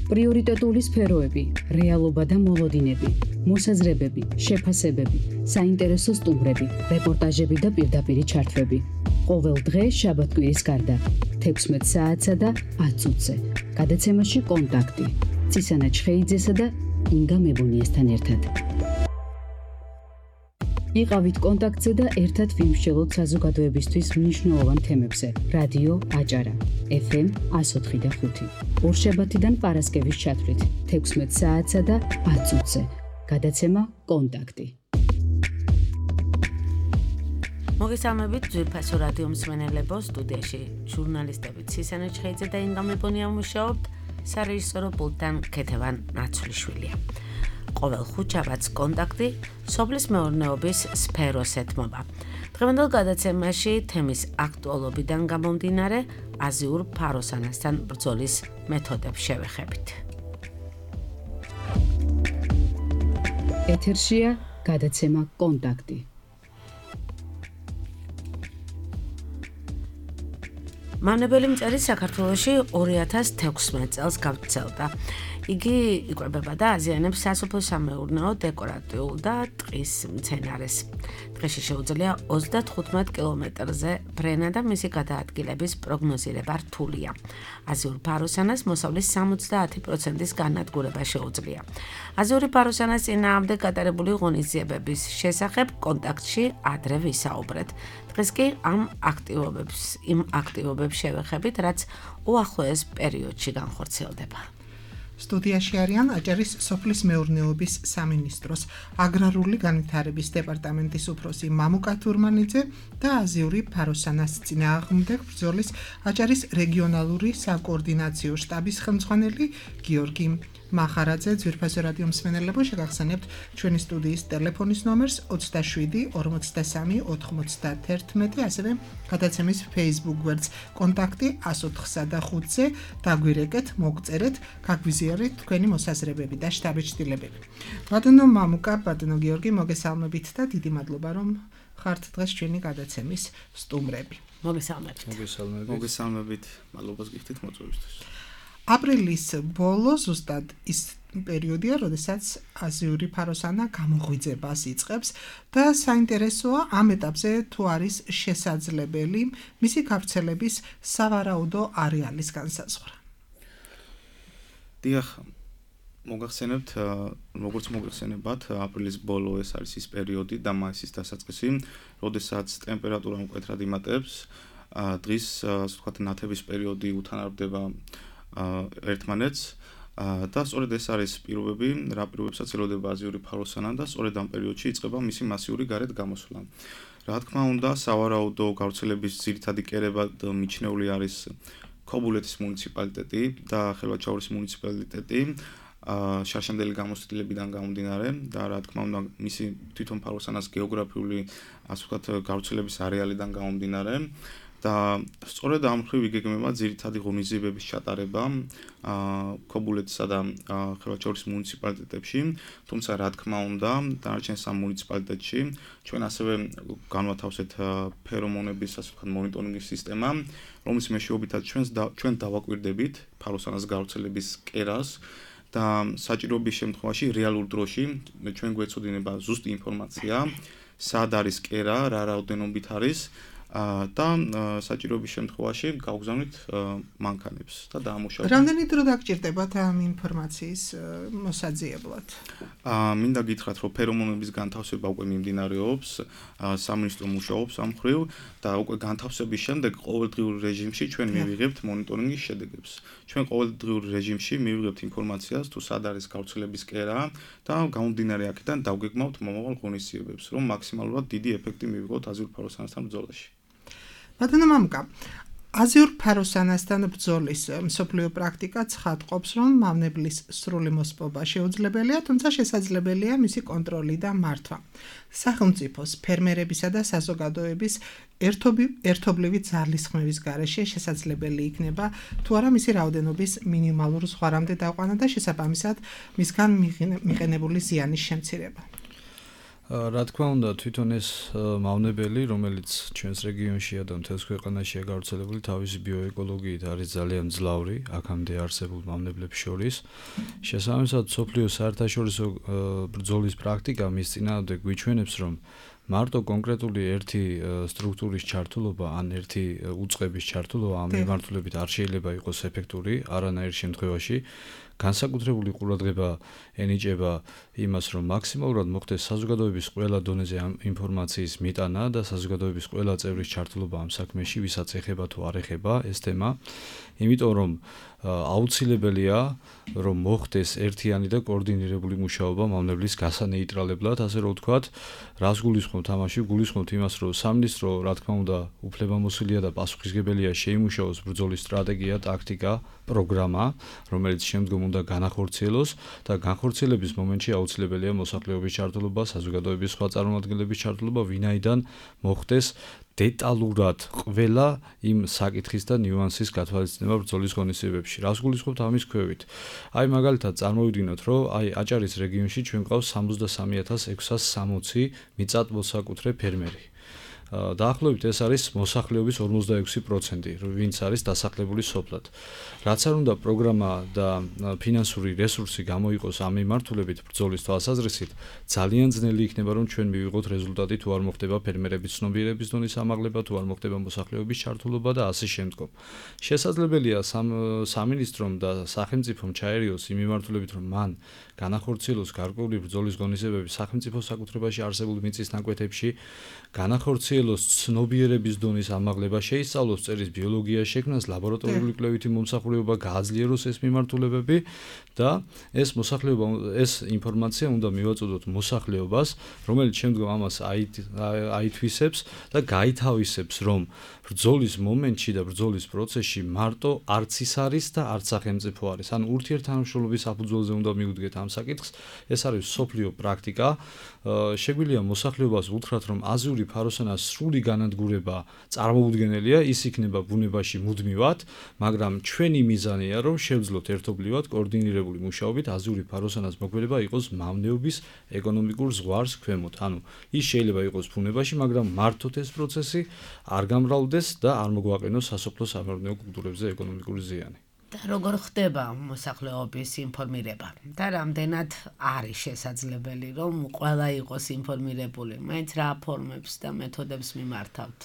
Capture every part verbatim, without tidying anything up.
პრიორიტეტული სფეროები, რეალობა და მოლოდინები, მოსაზრებები, შეფასებები, საინტერესო სტუმრები, რეპორტაჟები და პირდაპირი ჩართვები. ყოველ დღე შაბათ-კვირის გარდა, თექვსმეტ საათსა და ათ წუთზე. გადაცემაში კონტაქტი. ცისანა ჩხეიძესა და ინგა მებონიასთან ერთად. იყავით კონტაქტზე და ერთად ვიმსჯელოთ საზოგადოებისთვის მნიშვნელოვან თემებზე. რადიო აჭარა, ეფ ემ εκατო ოთხი და ხუთი. ორშაბათიდან პარასკევის ჩათვლით, თექვსმეტ საათსა და ათ წუთზე. გადაცემა კონტაქტი. მოგესალმებით ძვირფასო რადიო მსმენელებო, სტუდიაში ჟურნალისტები ცისანა ჩხეიძე და ინგა მებონია მუშაობთ, სარეჟისორო პულტთან ქეთევან ნაცვლიშვილია. ყოველ ხუთშაბათს კონტაქტი სოფლის მეურნეობის სფეროს ეთმობა. დღევანდელ გადაცემაში თემის აქტუალობიდან გამომდინარე აზიურ ფაროსანასთან ბრძოლის მეთოდებს შევეხებით. ეთერშია გადაცემა კონტაქტი. მავნებელი მწერი საქართველოში ორი ათას თექვსმეტ წელს გავრცელდა. იგი იკვებება და აზიანებს სასოფლო-სამეურნეო, დეკორატიულ და ტყის მცენარეს. დღეში შეუძლია ოცდათხუთმეტ კილომეტრზე ბრენა და მისი გადაადგილების პროგნოზირება რთულია. აზიურ ფაროსანას მოსავლის სამოცდაათი პროცენტის განადგურება შეუძლია. აზიური ფაროსანას წინააღმდეგ გატარებული ღონისძიებების შესახებ კონტაქტში ადრე ვისაუბრეთ. დღეს კი ამ აქტივობებს, იმ აქტივობებს შევეხებით, რაც უახლოეს პერიოდში განხორციელდება. სტუდიაში არიან აჭარის სოფლის მეურნეობის სამინისტროს აგრარული განვითარების დეპარტამენტის უფროსი მამუკა თურმანიძე და აზიური ფაროსანას წინააღმდეგ ბრძოლის აჭარის რეგიონალური საკოორდინაციო შტაბის ხელმძღვანელი გიორგი მახარაძე. ძვირფასო რადიო მსმენელებო, შეგახსენებთ ჩვენი სტუდიის ტელეფონის ნომერს ოცდაშვიდი ორმოცდასამი ოთხმოცდაათერთმეტი, ასევე გადაცემის Facebook გვერდს კონტაქტი ას ოთხსა და ხუთზე. დაგვირეკეთ, მოგწერეთ, გაგვიზიარეთ თქვენი მოსაზრებები და შთაბეჭდილებები. ბატონო მამუკა, ბატონო გიორგი, მოგესალმებით და დიდი მადლობა, რომ ხართ დღეს ჩვენი გადაცემის სტუმრები. მოგესალმებით. მოგესალმებით. მოგესალმებით. მადლობას გიხდით მოწვევისთვის. აპრილის ბოლო ზუსტად ის პერიოდია, როდესაც აზიური ფაროსანა გამოღვიძებას იწყებს და საინტერესოა ამ ეტაპზე თუ არის შესაძლებელი მისი გავრცელების სავარაუდო არეალის განსაზღვრა. დიახ, მოგახსენებთ, როგორც მოგახსენებათ, აპრილის ბოლო ეს არის ის პერიოდი და მაისის დასაწყისი, როდესაც ტემპერატურა მკვეთრად იმატებს, დღის, ასე ვთქვათ, ნათების პერიოდი უთანაბრდება ერთმანეთს და სწორედ ეს არის პირობები, რა პირობებსაც ელოდება აზიური ფაროსანა და სწორედ ამ პერიოდში იწყება მისი მასიური გარეთ გამოსვლა. რა თქმა უნდა, სავარაუდო გავრცელების ძირითადი კერება მიჩნეული არის ქობულეთის მუნიციპალიტეტი და ხელვაჩაურის მუნიციპალიტეტი შარშემდელი გამოცდილებიდან გამომდინარე და რა თქმა უნდა, მისი თვითონ ფაროსანას გეოგრაფიული, ასე ვთქვათ, გავრცელების არეალიდან გამომდინარე. და სწორედ ამ მხრივ იგეგმება ძირითადი ღონისძიებების ჩატარება ქობულეთსა და ხელვაჩაურის მუნიციპალიტეტებში, თუმცა რა თქმა უნდა, დანარჩენ სამ მუნიციპალიტეტში ჩვენ ასევე განვათავსეთ ფერომონების, ასე ვთქვათ, მონიტორინგის სისტემა, რომლის მეშვეობითაც ჩვენ დავაკვირდებით ფაროსანას გავრცელების კერას და საჭიროების შემთხვევაში რეალურ დროში ჩვენ გვეცოდინება ზუსტი ინფორმაცია, სად არის კერა, რა რაოდენობით არის და საჭიროების შემთხვევაში გავგზავნით მანქანებს და დაამუშავებთ. რამდენი დრო დაგჭირდებათ ამ ინფორმაციის მოსაძიებლად? მინდა გითხრათ, რომ ფერომონების განთავსება უკვე მიმდინარეობს, სამინისტრო მუშაობს ამ მხრივ და უკვე განთავსების შემდეგ ყოველდღიურ რეჟიმში ჩვენ მივიღებთ მონიტორინგის შედეგებს. ჩვენ ყოველდღიურ რეჟიმში მივიღებთ ინფორმაციას, თუ სად არის გავრცელების კერა და გამომდინარე აქედან დავგეგმავთ მომავალ ღონისძიებებს, რომ მაქსიმალურად დიდი ეფექტი მივიღოთ აზიურ ფაროსანასთან ბრძოლაში. ბატონო მამუკა, აზიურ ფაროსანასთან ბრძოლის მსოფლიო პრაქტიკა ცხადყოფს, რომ მავნებლის სრული მოსპობა შეუძლებელია, თუმცა შესაძლებელია მისი კონტროლი და მართვა. სახელმწიფოს, ფერმერებისა და საზოგადოების ერთობლივი ძალისხმევის გარეშე შესაძლებელი იქნება თუ არა მისი რაოდენობის მინიმალურ ზღვარამდე დაყვანა და შესაბამისად მისგან მიღენებული ზიანის შემცირება. რა თქმა უნდა, თვითონ ეს მავნებელი, რომელიც ჩვენს რეგიონშია და მთელს ქვეყანაშია გავრცელებული, თავისი ბიოეკოლოგიით არის ძალიან მძლავრი, აქამდე არსებულ მავნებლებს შორის. შესაბამისად, მსოფლიო საერთაშორისო ბრძოლის პრაქტიკა მის წინააღმდეგ გვიჩვენებს, რომ მარტო კონკრეტული ერთი სტრუქტურის ჩართულობა ან ერთი უწყების ჩართულობა ამ მიმართულებით არ შეიძლება იყოს ეფექტური არანაირ შემთხვევაში. განსაკუთრებული ყურადღება ენიჭება იმას, რომ მაქსიმალურად მოხდეს საზოგადოების ყველა დონეზე ამ ინფორმაციის მიტანა და საზოგადოების ყველა წევრის ჩართულობა ამ საქმეში, ვისაც ეხება თუ არ ეხება ეს თემა. იმიტომ რომ აუცილებელია, რომ მოხდეს ერთიანი და კოორდინირებული მუშაობა მავნებლის გასანეიტრალებლად, ასე რომ ვთქვათ, რას გულისხმობთ ამაში? გულისხმობთ იმას, რომ სამინისტრო, რა თქმა უნდა, უფლებამოსილია და პასუხისგებელია შეიმუშაოს ბრძოლის სტრატეგია, ტაქტიკა, პროგრამა, რომელიც შემდგომ უნდა განახორციელოს და განხორციელების მომენტში აუცილებელია მოსახლეობის ჩართულობა, საზოგადოების სხვა წარმომადგენლების ჩართულობა, ვინაიდან მოხდეს დეტალურად ყველა იმ საკითხის და ნიუანსის გათვალისწინება ბრძოლის ღონისძიებებში. რას გულისხმობთ ამის ქვევით? აი მაგალითად წარმოვიდგინოთ, რომ აი აჭარის რეგიონში ჩვენ გვყავს სამოცდასამი ათას ექვსას სამოცი მიწათმოსაკუთრე ფერმერი. დაახლოებით ეს არის მოსახლეობის ორმოცდაექვსი პროცენტი, ვინც არის დასახლებული სოფლად. რაც არ უნდა პროგრამა და ფინანსური რესურსი გამოიყოს ამ მიმართულებით ბრძოლის თვალსაზრისით, ძალიან ძნელი იქნება, რომ ჩვენ მივიღოთ რეზულტატი თუ არ მოხდება ფერმერების ცნობიერების დონის ამაღლება, თუ არ მოხდება მოსახლეობის ჩართულობა და ასე შემდგომ. შესაძლებელია სამინისტრომ და სახელმწიფომ ჩაერიოს იმ მიმართულებით, რომ მან განახორციელოს გარკვეული ბრძოლის ღონისძიებები სახელმწიფო საკუთრებაში არსებულ მიწის ნაკვეთებში, განახორციელოს ცნობიერების დონის ამაღლება, შეისწავლოს წერის ბიოლოგია, შექმნას ლაბორატორიული კვლევითი მომსახურება, გააძლიეროს ეს მიმართულებები და ეს მოსახლეობა ეს ინფორმაცია უნდა მივაწოდოთ მოსახლეობას, რომელიც შემდგომ ამას აითვისებს და გაითავისებს, რომ ბრძოლის მომენტში და ბრძოლის პროცესში მარტო არც ის არის და არც სახელმწიფო არის. ან ურთიერთთანამშრომლობის საფუძველზე უნდა მივუდგეთ ამ საკითხს. ეს არის სოფლიო პრაქტიკა. შეგვიძლია მოსახლეობას უთხრათ, რომ აზიური ფაროსანას სრული განადგურება წარმოუდგენელია, ის იქნება ბუნებაში მუდმივად, მაგრამ ჩვენი მიზანია, რომ შევძლოთ ერთობლივად კოორდინირებული მუშაობით აზიური ფაროსანას მოქმედება იყოს მავნეობის ეკონომიკურ ზღვარს ქვემოთ. ანუ ის შეიძლება იყოს ბუნებაში, მაგრამ მართოთ ეს პროცესი არ გამრავლდეს და არ მოგვაყენოს სასოფლო სამეურნეო კულტურებზე ეკონომიკური ზიანი. და როგორ ხდება მოსახლეობის ინფორმირება? და რამდენად არის შესაძლებელი, რომ ყველა იყოს ინფორმირებული? მაინც რა ფორმებს და მეთოდებს მიმართავთ?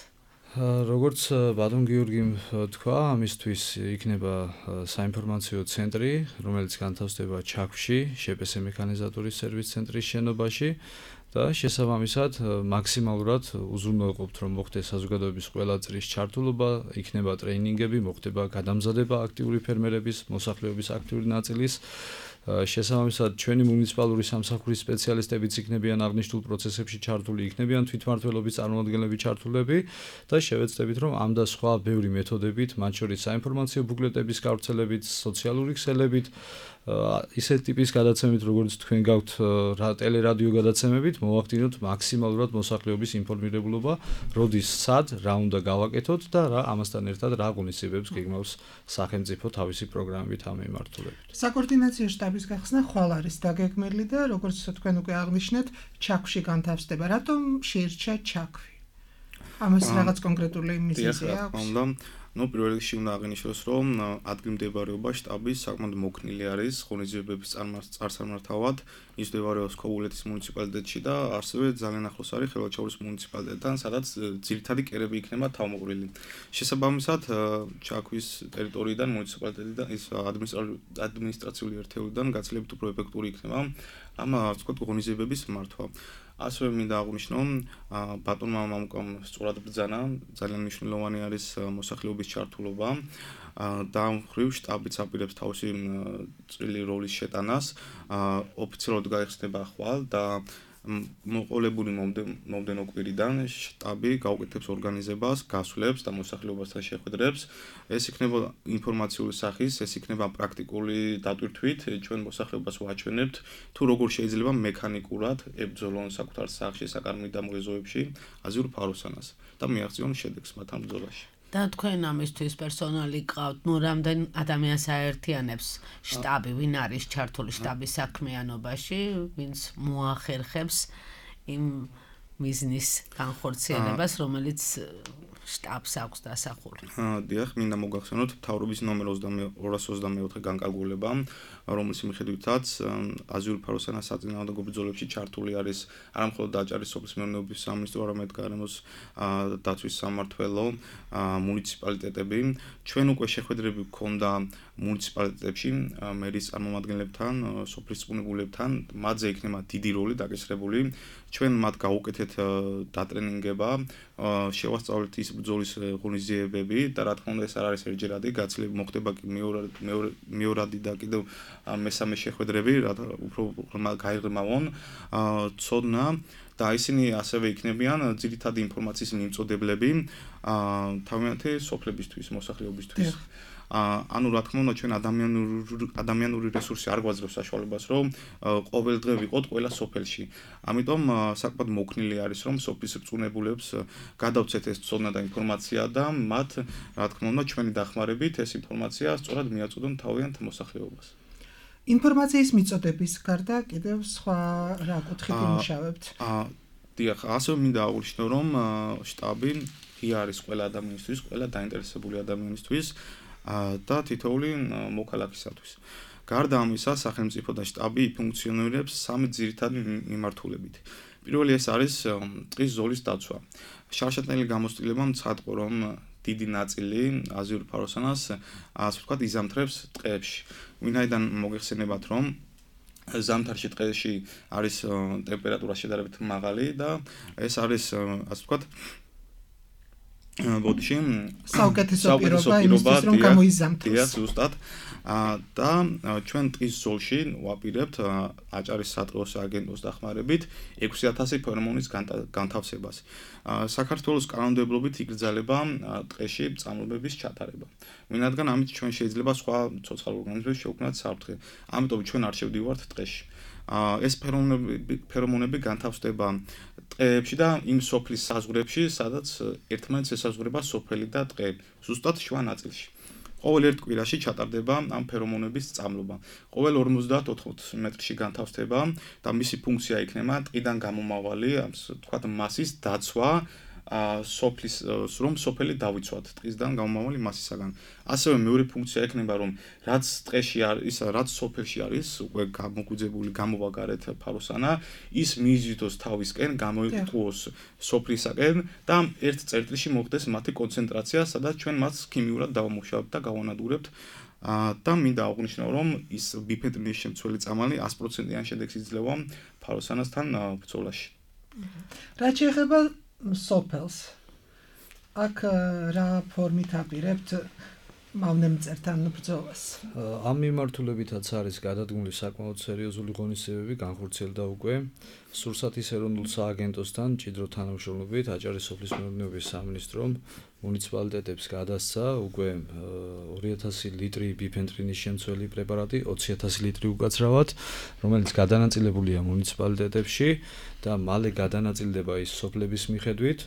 როგორც ბატონ გიორგიმ თქვა, ამისთვის იქნება საინფორმაციო ცენტრი, რომელიც განთავსდება ჩაქვში, შპს მექანიზატორის სერვის ცენტრის შენობაში. და შესაბამისად მაქსიმალურად უზრუნველყოფთ, რომ მოხდეს საზოგადოების ყველა წრის ჩართულობა, იქნება ტრეინინგები, მოხდება გადამზადება აქტიური ფერმერების, მოსახლეობის აქტიური ნაწილის. შესაბამისად ჩვენი მუნიციპალური სამსახურის სპეციალისტებიც იქნებიან აღნიშნულ პროცესებში ჩართული, იქნებიან თვითმმართველობის წარმომადგენლები ჩართულები და შევეცდებით, რომ ამ და სხვა ბევრი მეთოდებით, მათ შორის საინფორმაციო ბუკლეტების გავრცელებით, სოციალური ქსელებით, ისეთ ტიპის გადაცემით, როგორც თქვენ გაქვთ ტელერადიო გადაცემებით, მოვახდინოთ მაქსიმალურად მოსახლეობის ინფორმირებულობა, როდის, სად, რა უნდა გავაკეთოთ და რა ამასთან ერთად რა ღონისძიებებს გეგმავს სახელმწიფო თავისი პროგრამებით ამ მიმართულებით. საკოორდინაციო შტაბის გახსნა ხვალ არის დაგეგმილი და როგორც თქვენ უკვე აღნიშნეთ, ჩაქვში განთავსდება. რატომ შეირჩა ჩაქვი? ამას რაღაც კონკრეტული მიზეზი აქვს? ну პირველ რიგში უნდა აღინიშნოს, რომ ადგილმდებარეობა შტაბის საკმაოდ მოქნილი არის ღონისძიებების წარმართავად, ის მდებარეობს ქობულეთის მუნიციპალიტეტში და ასევე ძალიან ახლოს არის ხელვაჩაურის მუნიციპალიტეტთან, სადაც ძირითადი კერები იქნება თავმოყრილი. შესაბამისად, ჩაქვის ტერიტორიიდან მუნიციპალიტეტიდან ის ადმინისტრაციული ერთეულიდან გაცილებით უფრო ეფექტური იქნება ამ ვთქვათ ღონისძიებების მართვა. ასევე მინდა აღვნიშნო, ბატონმა მამუკამ სწორად ბრძანა, ძალიან მნიშვნელოვანი არის მოსახლეობის ჩართულობა და ამ მხრივ შტაბიც აპირებს თავისი წვრილი როლის შეტანას, ოფიციალურად გაიხსნება ხვალ და მოყოლებული მომდენო კვირიდან შტაბი გაუკეთებს ორგანიზებას, გასვლებს და მოსახლეობასთან შეხვედრებს. ეს იქნება ინფორმაციული სახის, ეს იქნება პრაქტიკული დატვირთვით, ჩვენ მოსახლეობას ვაჩვენებთ, თუ როგორ შეიძლება მექანიკურად ებრძოლონ საკუთარ სახლში, საკარმით და მოგეზოებში აზიურ ფაროსანას და მიაღწიონ შედეგს მათ ამ ბრძოლაში. და თქვენ ამისთვის პერსონალი გყავთ, ну რამდენ ადამიანს აერთიანებს შტაბი, ვინ არის ჩართული შტაბის საქმიანობაში, ვინც მოახერხებს იმ მიზნის განხორციელებას, რომელიც შტაბს აქვს დასახული. დიახ, მინდა მოგახსენოთ მთავრობის ნომერ ორას ოცდამეოთხე განკარგულება, რომლის მიხედვითაც აზიური ფაროსანა საწინააღმდეგო ბრძოლებში ჩართული არის არა მხოლოდ დაჭარის სოფლის მეურნეობის სამინისტრო, არამედ გარემოს დაცვის სამმართველო, მუნიციპალიტეტები. ჩვენ უკვე შეხვედრები გქონდა მუნიციპალიტეტებში მერის წარმომადგენლებთან, სოფლის წყუნებულებთან, მათზე იქნება დიდი როლი დაკისრებული. ჩვენ მათ გავუკეთეთ დატრენინგება, შევასწავლეთ ის ბრძოლის ღონისძიებები და რა თქმა უნდა ეს არ არის ერთჯერადი, გაცილებით მოხდება კი მეორადი და კიდევ მესამე შეხვედრები, უფრო გაიღრმავონ ცოდნა და ისინი ასევე იქნებიან ძირითადი ინფორმაციის მიმწოდებლები თავიანთი სოფლებისთვის, მოსახლეობისთვის. ანუ რა თქმა უნდა ჩვენ ადამიანური ადამიანური რესურსი არ გვაძლევს საშუალებას რომ ყოველდღე ვიყოთ ყველა სოფელში. ამიტომ საკმაოდ მოქნილი არის რომ სოფლის რწუნებულებს გადავცეთ ეს ცოდნა და ინფორმაცია და მათ რა თქმა უნდა ჩვენი დახმარებით ეს ინფორმაცია სწორად მიაწოდონ თავიანთ მოსახლეობას. ინფორმაციის მიწოდების გარდა კიდევ სხვა რა კუთხით იმუშავებთ? დიახ, ასევე მინდა აღვნიშნო რომ შტაბი ღია არის ყველა ადამიანისთვის, ყველა დაინტერესებული ადამიანისთვის და თითოეული მოქალაქისათვის. გარდა ამისა, სახელმწიფო და შტაბი ფუნქციონირებს სამი ძირითადი მიმართულებით. პირველი ეს არის ტყის ზოლის დაცვა. შარშატნელი გამოცდილება მცხადყო რომ დიდი ნაწილი აზიური ფაროსანას ასე ვთქვათ იზამთრებს ტყეებში. ვინაიდან მოგეხსენებათ რომ ზამთარში ტყეში არის ტემპერატურა შედარებით მაღალი და ეს არის ასე ვთქვათ ბოდიში საუკეთესო პირობა იმისთვის რომ გამოიზამთროს. დიახ, ზუსტად. და ჩვენ ტყის ზოლში ვაპირებთ აჭარის სატყეო სააგენტოს დახმარებით ექვსი ათასი ფერმონის განთავსებას. საქართველოს კანონმდებლობით იგრძელება ტყეში წამლებების ჩატარება. ვინაიდან ამით ჩვენ შეიძლება სხვა ცოცხალ ორგანიზმებს შევქმნათ საფრთხე. ამიტომ ჩვენ არ შევდივართ ტყეში. ეს ფერმონები ფერმონები განთავსდება ტყეებში და იმ სოფლის საზღვრებში, სადაც ერთმანეთს ესაზღვრება სოფელი და ტყე, ზუსტად შუა ნაწილში. ყოველ ერთ კვირაში ჩატარდება ამ ფერმონების წამლობა. ყოველ ორმოცდაათ ოთხმოცდაოთხ მეტრში განთავსდება და მისი ფუნქცია იქნება ტყიდან გამომავალი, ასე ვთქვათ, მასის დაცვა, სოფლის რომ სოფელი დავიცვათ ტყისგან გამომავალი მასისაგან. ასევე მეორე ფუნქცია ექნება რომ რაც ტყეში არის, რაც სოფელში არის, უკვე გამოგვიძებული გამოვაგარეთ ფაროსანა, ის მიიზიდოს თავისკენ, გამოიყუოს სოფლისაკენ და ერთ წერტილში მოხდეს მათი კონცენტრაცია, სადაც ჩვენ მას ქიმიურად დავამუშავებთ და გავანადგურებთ. და მინდა აღვნიშნო რომ ის ბიფენტრინის შემცველი წამალი ას პროცენტიან შედეგს იძლევა ფაროსანასთან ბრძოლაში. რაც შეეხება სოფელს. აქ რა ფორმით აპირებთ მავნემწერთან ბრძოლას? ამ მიმართულებითაც არის გადადგმული საკმაოდ სერიოზული ღონისძიებები განხორციელდა უკვე სურსათის ეროვნულ სააგენტოსთან მჭიდრო თანამშრომლობით აჭარის სოფლის მეურნეობის სამინისტრომ მუნიციპალიტეტებს გადასცა უკვე ორი ათასი ლიტრი ბიფენტრინის შემცველი პრეპარატი, ოცი ათასი ლიტრი უკაცრავად, რომელიც გადანაწილებულია მუნიციპალიტეტებში და მალე გადანაწილდება ის სოფლების მიხედვით.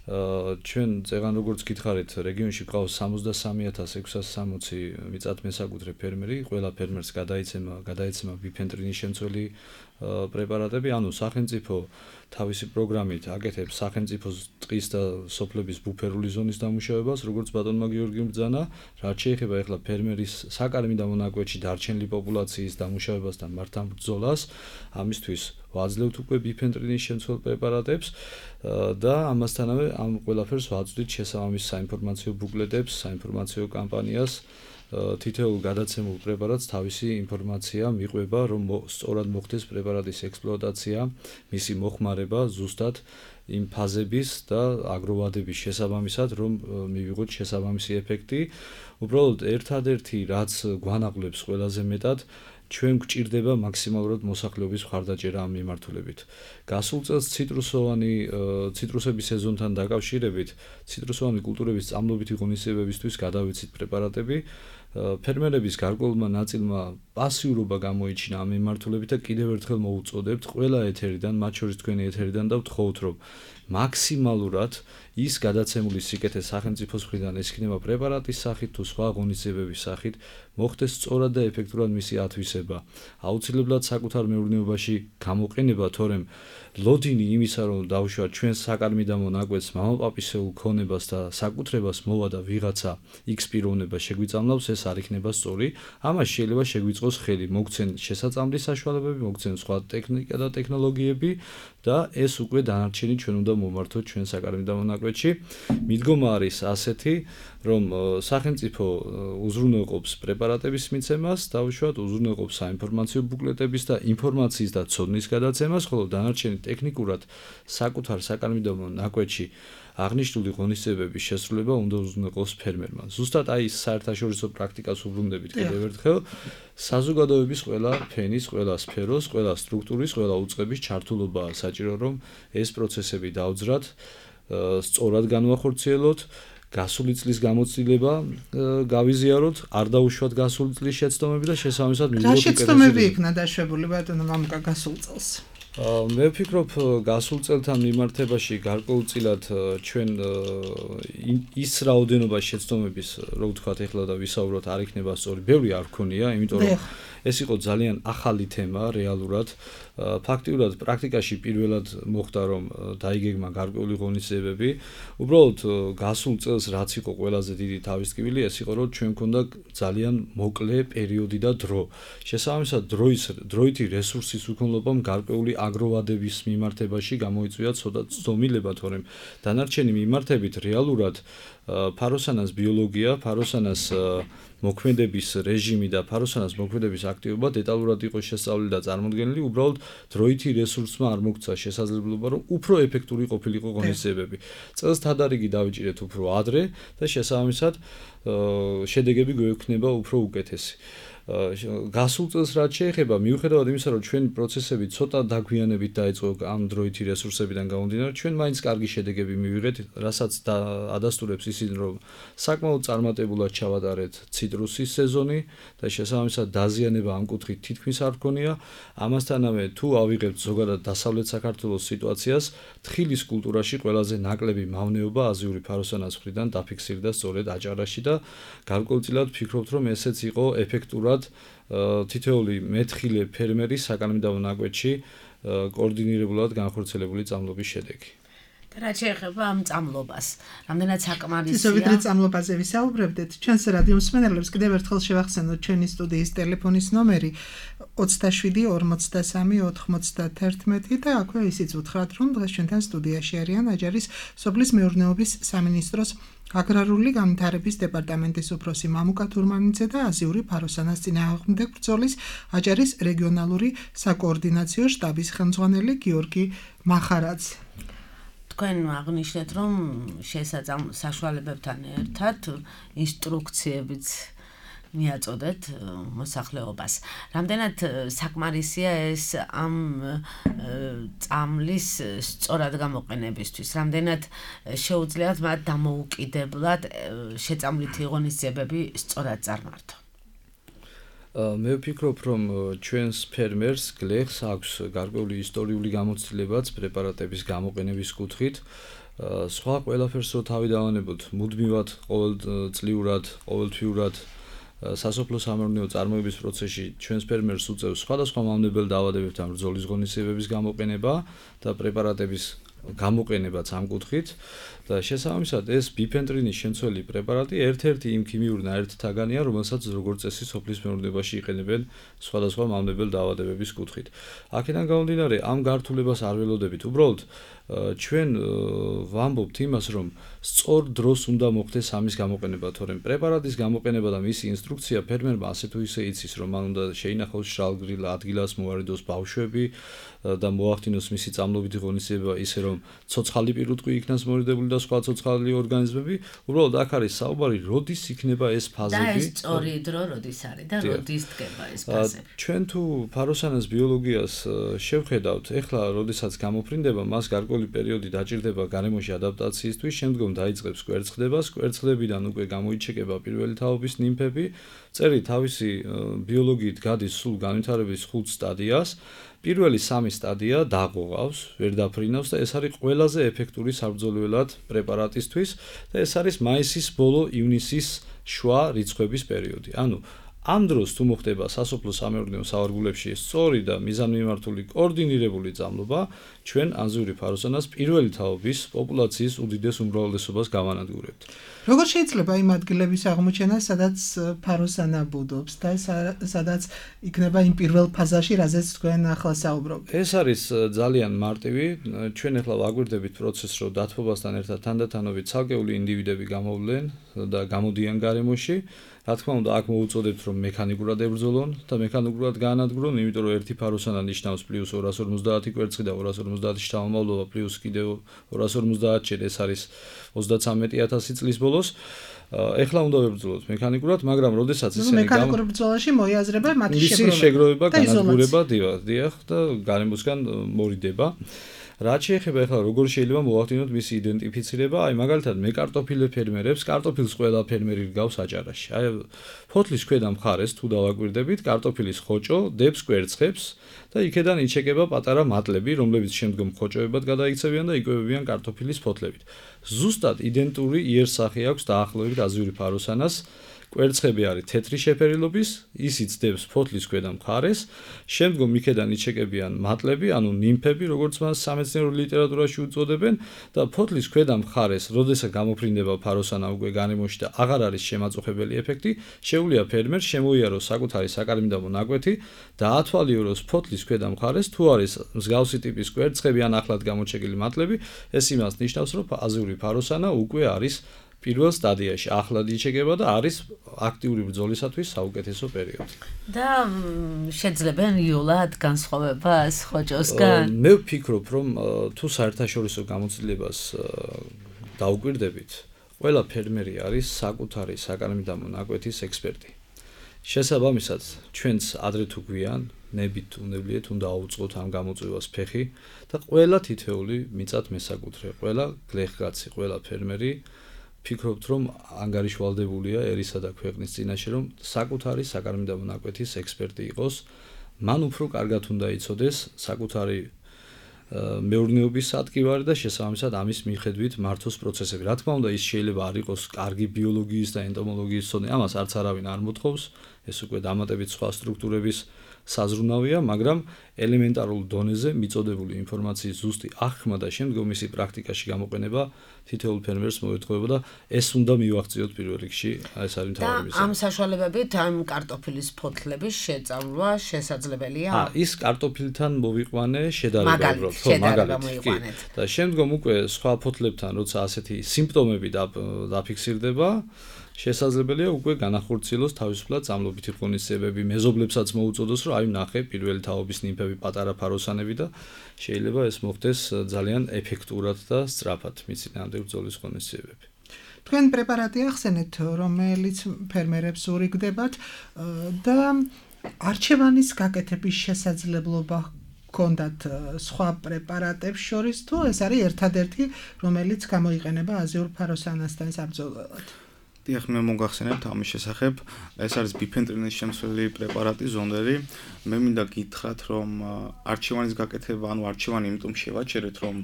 ჩვენ წეგან როგორც გითხარით, რეგიონში გვყავს სამოცდასამი ათას ექვსას სამოცი მიწათმესაკუთრე ფერმერი, ყველა ფერმერს გადაიცემა გადაეცემა ბიფენტრინის შემცველი პრეპარატები, ანუ სახელმწიფო თავისი პროგრამით აკეთებს სახელმწიფოს ტყის და სოფლების ბუფერული ზონის დამუშავებას, როგორც ბატონმა გიორგიმ ბრძანა, რაც შეეხება ახლა ფერმერის საკარმი და მონაკვეთში დარჩენილი პოპულაციის დამუშავებას და მართან ბრძოლას, ამისთვის ვაძლევთ უკვე ბიფენტრინის შემცველ პრეპარატებს და ამასთანავე ამ ყველაფერს ვაწვდით შესაბამის საინფორმაციო ბუკლეტებს, საინფორმაციო კამპანიას. თითოეულ გადაცემულ პრეპარატს თავისი ინფორმაცია მიყვება, რომ სწორად მოხდეს პრეპარატის ექსპლუატაცია, მისი მოხმარება ზუსტად იმ ფაზების და აგროვადების შესაბამისად, რომ მივიღოთ შესაბამისი ეფექტი. უბრალოდ ერთადერთი რაც გვანაღვლებს ყველაზე მეტად ჩვენ გვჭირდება მაქსიმალურად მოსახლეობის მხარდაჭერა ამ მიმართულებით. გასულ წელს ციტრუსოვანი ციტრუსების სეზონთან დაკავშირებით ციტრუსოვანი კულტურების წამლობითი ღონისძიებებისთვის გადავეცით პრეპარატები ფერმერების გარკვეულმა ნაწილმა პასიურობა გამოიჩინა ამ მიმართულებით და კიდევ ერთხელ მოუწოდებთ ყველა ეთერიდან, მათ შორის თქვენი ეთერიდან და ვთხოვთ, რომ მაქსიმალურად ის გადაცემული სიკეთე სახელმწიფოს მხრიდან ეს იქნება პრეპარატის სახით თუ სხვა ღონისძიებების სახით მოხდეს სწორად და ეფექტურად მისი ათვისება. აუცილებლად საკუთარ მეურნეობაში გამოყენება, თორემ ლოდინი იმისა, რომ დავუშვათ ჩვენს საკარმიდამო ნაკვეთს მამაპაპისეულ ქონებას და საკუთრებას მოვა და ვიღაცა X პიროვნება შეგვიწამლავს, ეს არ იქნება სწორი. ამას შეიძლება შეგვიწყოს ხელი, მოგცენ შესაწამლის საშუალებები, მოგცენ სხვა ტექნიკა და ტექნოლოგიები და ეს უკვე დანარჩენი ჩვენ უნდა მომართოთ ჩვენ საკარმიდამო ნაკვეთში. მიდგომა არის ასეთი, რომ სახელმწიფო უზრუნველყოფს პრეპარატების მიცემას, დავუშვათ უზრუნველყოფს საინფორმაციო ბუკლეტების და ინფორმაციის და ცოდნის გადაცემას, ხოლო დანარჩენი ტექნიკურად საკუთარ საკარმიდამო ნაკვეთში აღნიშნული ღონისძიებების შესრულება უნდა უზრუნველყოს ფერმერმა. ზუსტად აი ეს საერთაშორისო პრაქტიკას უბრუნდებით კიდევ ერთხელ, საზოგადოების ყველა ფენის, ყველა სფეროს, ყველა სტრუქტურის, ყველა უწყების ჩართულობაა საჭირო, რომ ეს პროცესები დავძრათ, სწორად განვახორციელოთ, გასული წლის გამოცდილება გავიზიაროთ, არ დაუშვათ გასული წლის შეცდომები და შესაბამისად მივიღოთ რა შეცდომები იქნა დაშვებული ბატონო მამუკა გასულ წელს? მე ვფიქრობ გასულ წელთან მიმართებაში გარკვეულწილად ჩვენ ის რაოდენობა შეცდომების, რო ვთქვათ ეხლა და ვისაუბროთ, არ იქნება სწორი, ბევრი არ გქონია, იმიტომ რომ ეს იყო ძალიან ახალი თემა რეალურად. ფაქტიურად პრაქტიკაში პირველად მოხდა, რომ დაიგეგმა გარკვეული ღონისძიებები. უბრალოდ გასულ წელს რაც იყო ყველაზე დიდი თავისკივილი, ეს იყო, რომ ჩვენ გქონდა ძალიან მოკლე პერიოდი და დრო. შესაბამისად, დროის დროითი რესურსის უქონლობამ გარკვეული აგროვადების მიმართებაში გამოიწვია ცოტა ცდომილება, თორემ დანარჩენი მიმართებით რეალურად ფაროსანას ბიოლოგია, ფაროსანას მოქმედების რეჟიმი და ფაროსანას მოქმედების აქტივობა დეტალურად იყო შესწავლილი და წარმოდგენილი, უბრალოდ დროითი რესურსმა არ მოგცა შესაძლებლობა, რომ უფრო ეფექტური ყოფილიყო ღონისძიებები. წელს თადარიგი დავიჭირეთ უფრო ადრე და შესაბამისად შედეგები გვექნება უფრო უკეთესი. გასულ წელს რაც შეეხება, მიუხედავად იმისა, რომ ჩვენი პროცესები ცოტა დაგვიანებით დაიწყო ამ დროითი რესურსებიდან გამომდინარე, ჩვენ მაინც კარგი შედეგები მივიღეთ, რასაც ადასტურებს ისინი, რომ საკმაოდ წარმატებულად ჩავატარეთ ციტრუსის სეზონი და შესაბამისად დაზიანება ამ კუთხით თითქმის არ გქონია. ამასთანავე თუ ავიღებთ ზოგადად დასავლეთ საქართველოს სიტუაციას, თხილის კულტურაში ყველაზე ნაკლები მავნეობა აზიური ფაროსანას მხრიდან დაფიქსირდა სწორედ აჭარაში და გარკვეულწილად ვფიქრობთ, რომ ესეც იყო ეფექტურად თითოეული მეთხილე ფერმერის საკარმიდამო ნაკვეთში კოორდინირებულად განხორციელებული წამლობის შედეგი. და რაც შეეხება ამ წამლობას, რამდენად საკმარისია? ისე ვიდრე წამლობაზე ვისაუბრებდით, ჩვენს რადიო მსმენელებს კიდევ ერთხელ შევახსენოთ ჩვენი სტუდიის ტელეფონის ნომერი ოცდაშვიდი ორმოცდასამი ოთხმოცდაათერთმეტი და აქვე ისიც უთხრათ, რომ დღეს ჩვენთან სტუდიაში არიან აჭარის სოფლის მეურნეობის სამინისტროს აგრარული განვითარების დეპარტამენტის უფროსი მამუკა თურმანიძე და აზიური ფაროსანას წინააღმდეგ ბრძოლის აჭარის რეგიონალური საკოორდინაციო შტაბის ხელმძღვანელი გიორგი მახარაძე. თქვენ აღნიშნეთ, რომ შესაძამ საშუალებებთან ერთად ინსტრუქციებიც მიაწოდეთ მოსახლეობას. რამდენად საკმარისია ეს ამ წამლის სწორად გამოყენებისთვის? რამდენად შეუძლიათ მათ დამოუკიდებლად შეწამლითი ღონისძიებები სწორად წარმართო? მე ვფიქრობ, რომ ჩვენს ფერმერს გლეხს აქვს გარკვეული ისტორიული გამოცდილებაც პრეპარატების გამოყენების კუთხით. სხვა ყველაფერს რო თავი დავანებოთ, მუდმივად ყოველწლიურად, ყოველთვიურად სასოფლო სამეურნეო წარმოების პროცესში ჩვენს ფერმერს უწევს სხვადასხვა მავნებელ დაავადებებთან ბრძოლის ღონისძიებების გამოყენება და პრეპარატების გამოყენებაც ამ კუთხით და შესაბამისად ეს ბიფენტრინის შემცველი პრეპარატი ერთ-ერთი იმ ქიმიური ნაერთთაგანია, რომელსაც როგორც წესი სოფლის მეურნეობაში იყენებენ სხვადასხვა მავნებელ დაავადებების კუთხით. აქედან გამომდინარე, ამ გართულებას არ ველოდებით. უბრალოდ ჩვენ ვამბობთ იმას, რომ სწორ დროს უნდა მოხდეს ამის გამოყენება, თორემ პრეპარატის გამოყენება და მისი ინსტრუქცია ფერმერმა ასე თუ ისე იცის, რომ მან უნდა შეინახოს შრალგრილ ადგილას, მოვარიდოს ბავშვები და მოახდინოს მისი წამლობითი ღონისძიება ისე, რომ ცოცხალი პირუტყვი იქნას მორიდებული და სხვა ცოცხალი ორგანიზმები. უბრალოდ აქ არის საუბარი, როდის იქნება ეს ფაზები და ეს სწორი დრო როდის არის და როდის დგება ეს ფაზები. ჩვენ თუ ფაროსანას ბიოლოგიას შევხედავთ, ეხლა როდესაც გამოფრინდება, მას გარკვეული პერიოდი დაჭირდება გარემოში ადაპტაციისთვის, შემდგომ შემდგომ დაიწყებს კვერცხდებას, კვერცხდებიდან უკვე გამოიჩეკება პირველი თაობის ნიმფები, წერი თავისი ბიოლოგიით გადის სულ განვითარების ხუთ სტადიას. პირველი სამი სტადია დაღუღავს, ვერ დაფრინავს და ეს არის ყველაზე ეფექტური საბრძოლველად პრეპარატისთვის და ეს არის მაისის ბოლო, ივნისის შუა რიცხვების პერიოდი. ანუ ამ დროს თუ მოხდება სასოფლო სამეურნეო სავარგულებში სწორი და მიზანმიმართული კოორდინირებული წამლობა, ჩვენ ანზიური ფაროსანას პირველი თაობის პოპულაციის უდიდეს უმრავლესობას გავანადგურებთ. როგორ შეიძლება იმ ადგილების აღმოჩენა, სადაც ფაროსანა ბუდობს და სადაც იქნება იმ პირველ ფაზაში, რაზეც თქვენ ახლა საუბრობთ? ეს არის ძალიან მარტივი. ჩვენ ახლა ვაგვირდებით პროცესს, რომ დათბობასთან ერთად თანდათანობით ცალკეული ინდივიდები გამოვლენ და გამოდიან გარემოში. რა თქმა უნდა, აქ მოუწოდებთ, რომ მექანიკურად ებრძოლონ და მექანიკურად გაანადგურონ, იმიტომ რომ ერთი ფაროსანა ნიშნავს პლუს ორას ორმოცდაათი კვერცხი და ორას ორმოცდაათი შთამომავლობა პლუს კიდევ ორას ორმოცდაათი ჯერ ეს არის ოცდაცამეტი ათასი წლის ბოლოს. ეხლა უნდა ვებრძოლოთ მექანიკურად, მაგრამ როდესაც ისინი მექანიკურ ბრძოლაში მოიაზრება მათი შეგროვება, განადგურება, დიახ და გარემოსგან მორიდება. რაც შეეხება ახლა როგორ შეიძლება მოვახდინოთ მისი იდენტიფიცირება, აი მაგალითად მე კარტოფილე ფერმერებს, კარტოფილს ყველა ფერმერი რგავს აჭარაში. აი ფოთლის ქვედა მხარეს თუ დავაკვირდებით, კარტოფილის ხოჭო დებს კვერცხებს და იქედან იჩეკება პატარა მატლები, რომლებიც შემდგომ ხოჭოებად გადაიქცევიან და იკვებებიან კარტოფილის ფოთლებით. ზუსტად იდენტური იერსახე აქვს დაახლოებით აზიური ფაროსანას. კვერცხები არის თეთრი შეფერილობის, ისიც დებს ფოთლის ქვედა მხარეს, შემდგომ იქედან იჩეკებიან მატლები, ანუ ნიმფები, როგორც მას სამეცნიერო ლიტერატურაში უწოდებენ და ფოთლის ქვედა მხარეს, როდესაც გამოფრინდება ფაროსანა უკვე გარემოში და აღარ არის შემაწუხებელი ეფექტი, შეუძლია ფერმერს შემოიაროს საკუთარი საკარმიდამო ნაკვეთი და ათვალიეროს ფოთლის ქვედა მხარეს, თუ არის მსგავსი ტიპის კვერცხები ან ახლად გამოჩეკილი მატლები, ეს იმას ნიშნავს, რომ აზიური ფაროსანა უკვე არის პირველ სტადიაში ახლად იჩეკება და არის აქტიური ბრძოლისათვის საუკეთესო პერიოდი. და შეძლებენ იოლად განსხვავებას ხოჭოსგან? მე ვფიქრობ, რომ თუ საერთაშორისო გამოცდილებას დავუკვირდებით, ყველა ფერმერი არის საკუთარი საკარმიდამო ნაკვეთის ექსპერტი. შესაბამისად, ჩვენც ადრე თუ გვიან, ნებით უნებლიეთ უნდა აუწყოთ ამ გამოწვევას ფეხი და ყველა თითეული მიწათ მესაკუთრე, ყველა გლეხგაცი, ყველა ფერმერი ფიქრობთ, რომ ანგარიშვალდებულია ერისა და ქვეყნის წინაშე, რომ საკუთარი საკარმიდამო ნაკვეთის ექსპერტი იყოს, მან უფრო კარგად უნდა იცოდეს საკუთარი მეურნეობის სატკივარი და შესაბამისად ამის მიხედვით მართოს პროცესები. რა თქმა უნდა, ის შეიძლება არ იყოს კარგი ბიოლოგიის და ენტომოლოგიის ცოდნა, ამას არც არავინ არ მოთხოვს, ეს უკვე დამატებით სხვა სტრუქტურების საზრუნავია, მაგრამ ელემენტარულ დონეზე მიწოდებული ინფორმაციის ზუსტი აღქმა და შემდგომ მისი პრაქტიკაში გამოყენება თითოეულ ფერმერს მოეთხოვება და ეს უნდა მივახციოთ პირველ რიგში, ეს არის მთავარი მიზანი. ამ საშუალებებით ამ კარტოფილის ფოთლების შეწამლვა შესაძლებელია? აა, ის კარტოფილთან მოვიყვანე შედარება, ხო, მაგალითად. და შემდგომ უკვე სხვა ფოთლებთან, როცა ასეთი სიმპტომები დაფიქსირდება, შესაძლებელია უკვე განახორციელოს თავისუფლად წამლობითი ღონისძიებები, მეზობლებსაც მოუწოდოს, რომ აი ნახე პირველი თაობის ნიმფები პატარა ფაროსანები და შეიძლება ეს მოხდეს ძალიან ეფექტურად და სწრაფად მიწინააღმდეგ ბრძოლის ღონისძიებები. თქვენ პრეპარატი ახსენეთ, რომელიც ფერმერებს ურიგდებათ და არჩევანის გაკეთების შესაძლებლობა კონდათ სხვა პრეპარატებს შორის, თუ ეს არის ერთადერთი, რომელიც გამოიყენება აზიურ ფაროსანასთან საბრძოლველად? დიახ, მე მოგახსენებთ ამის შესახებ, ეს არის ბიფენტრინის შემცველი პრეპარატი ზონდერი. მე მინდა გითხრათ, რომ არჩევანის გაკეთება, ანუ არჩევანი იმიტომ შევაჩერეთ, რომ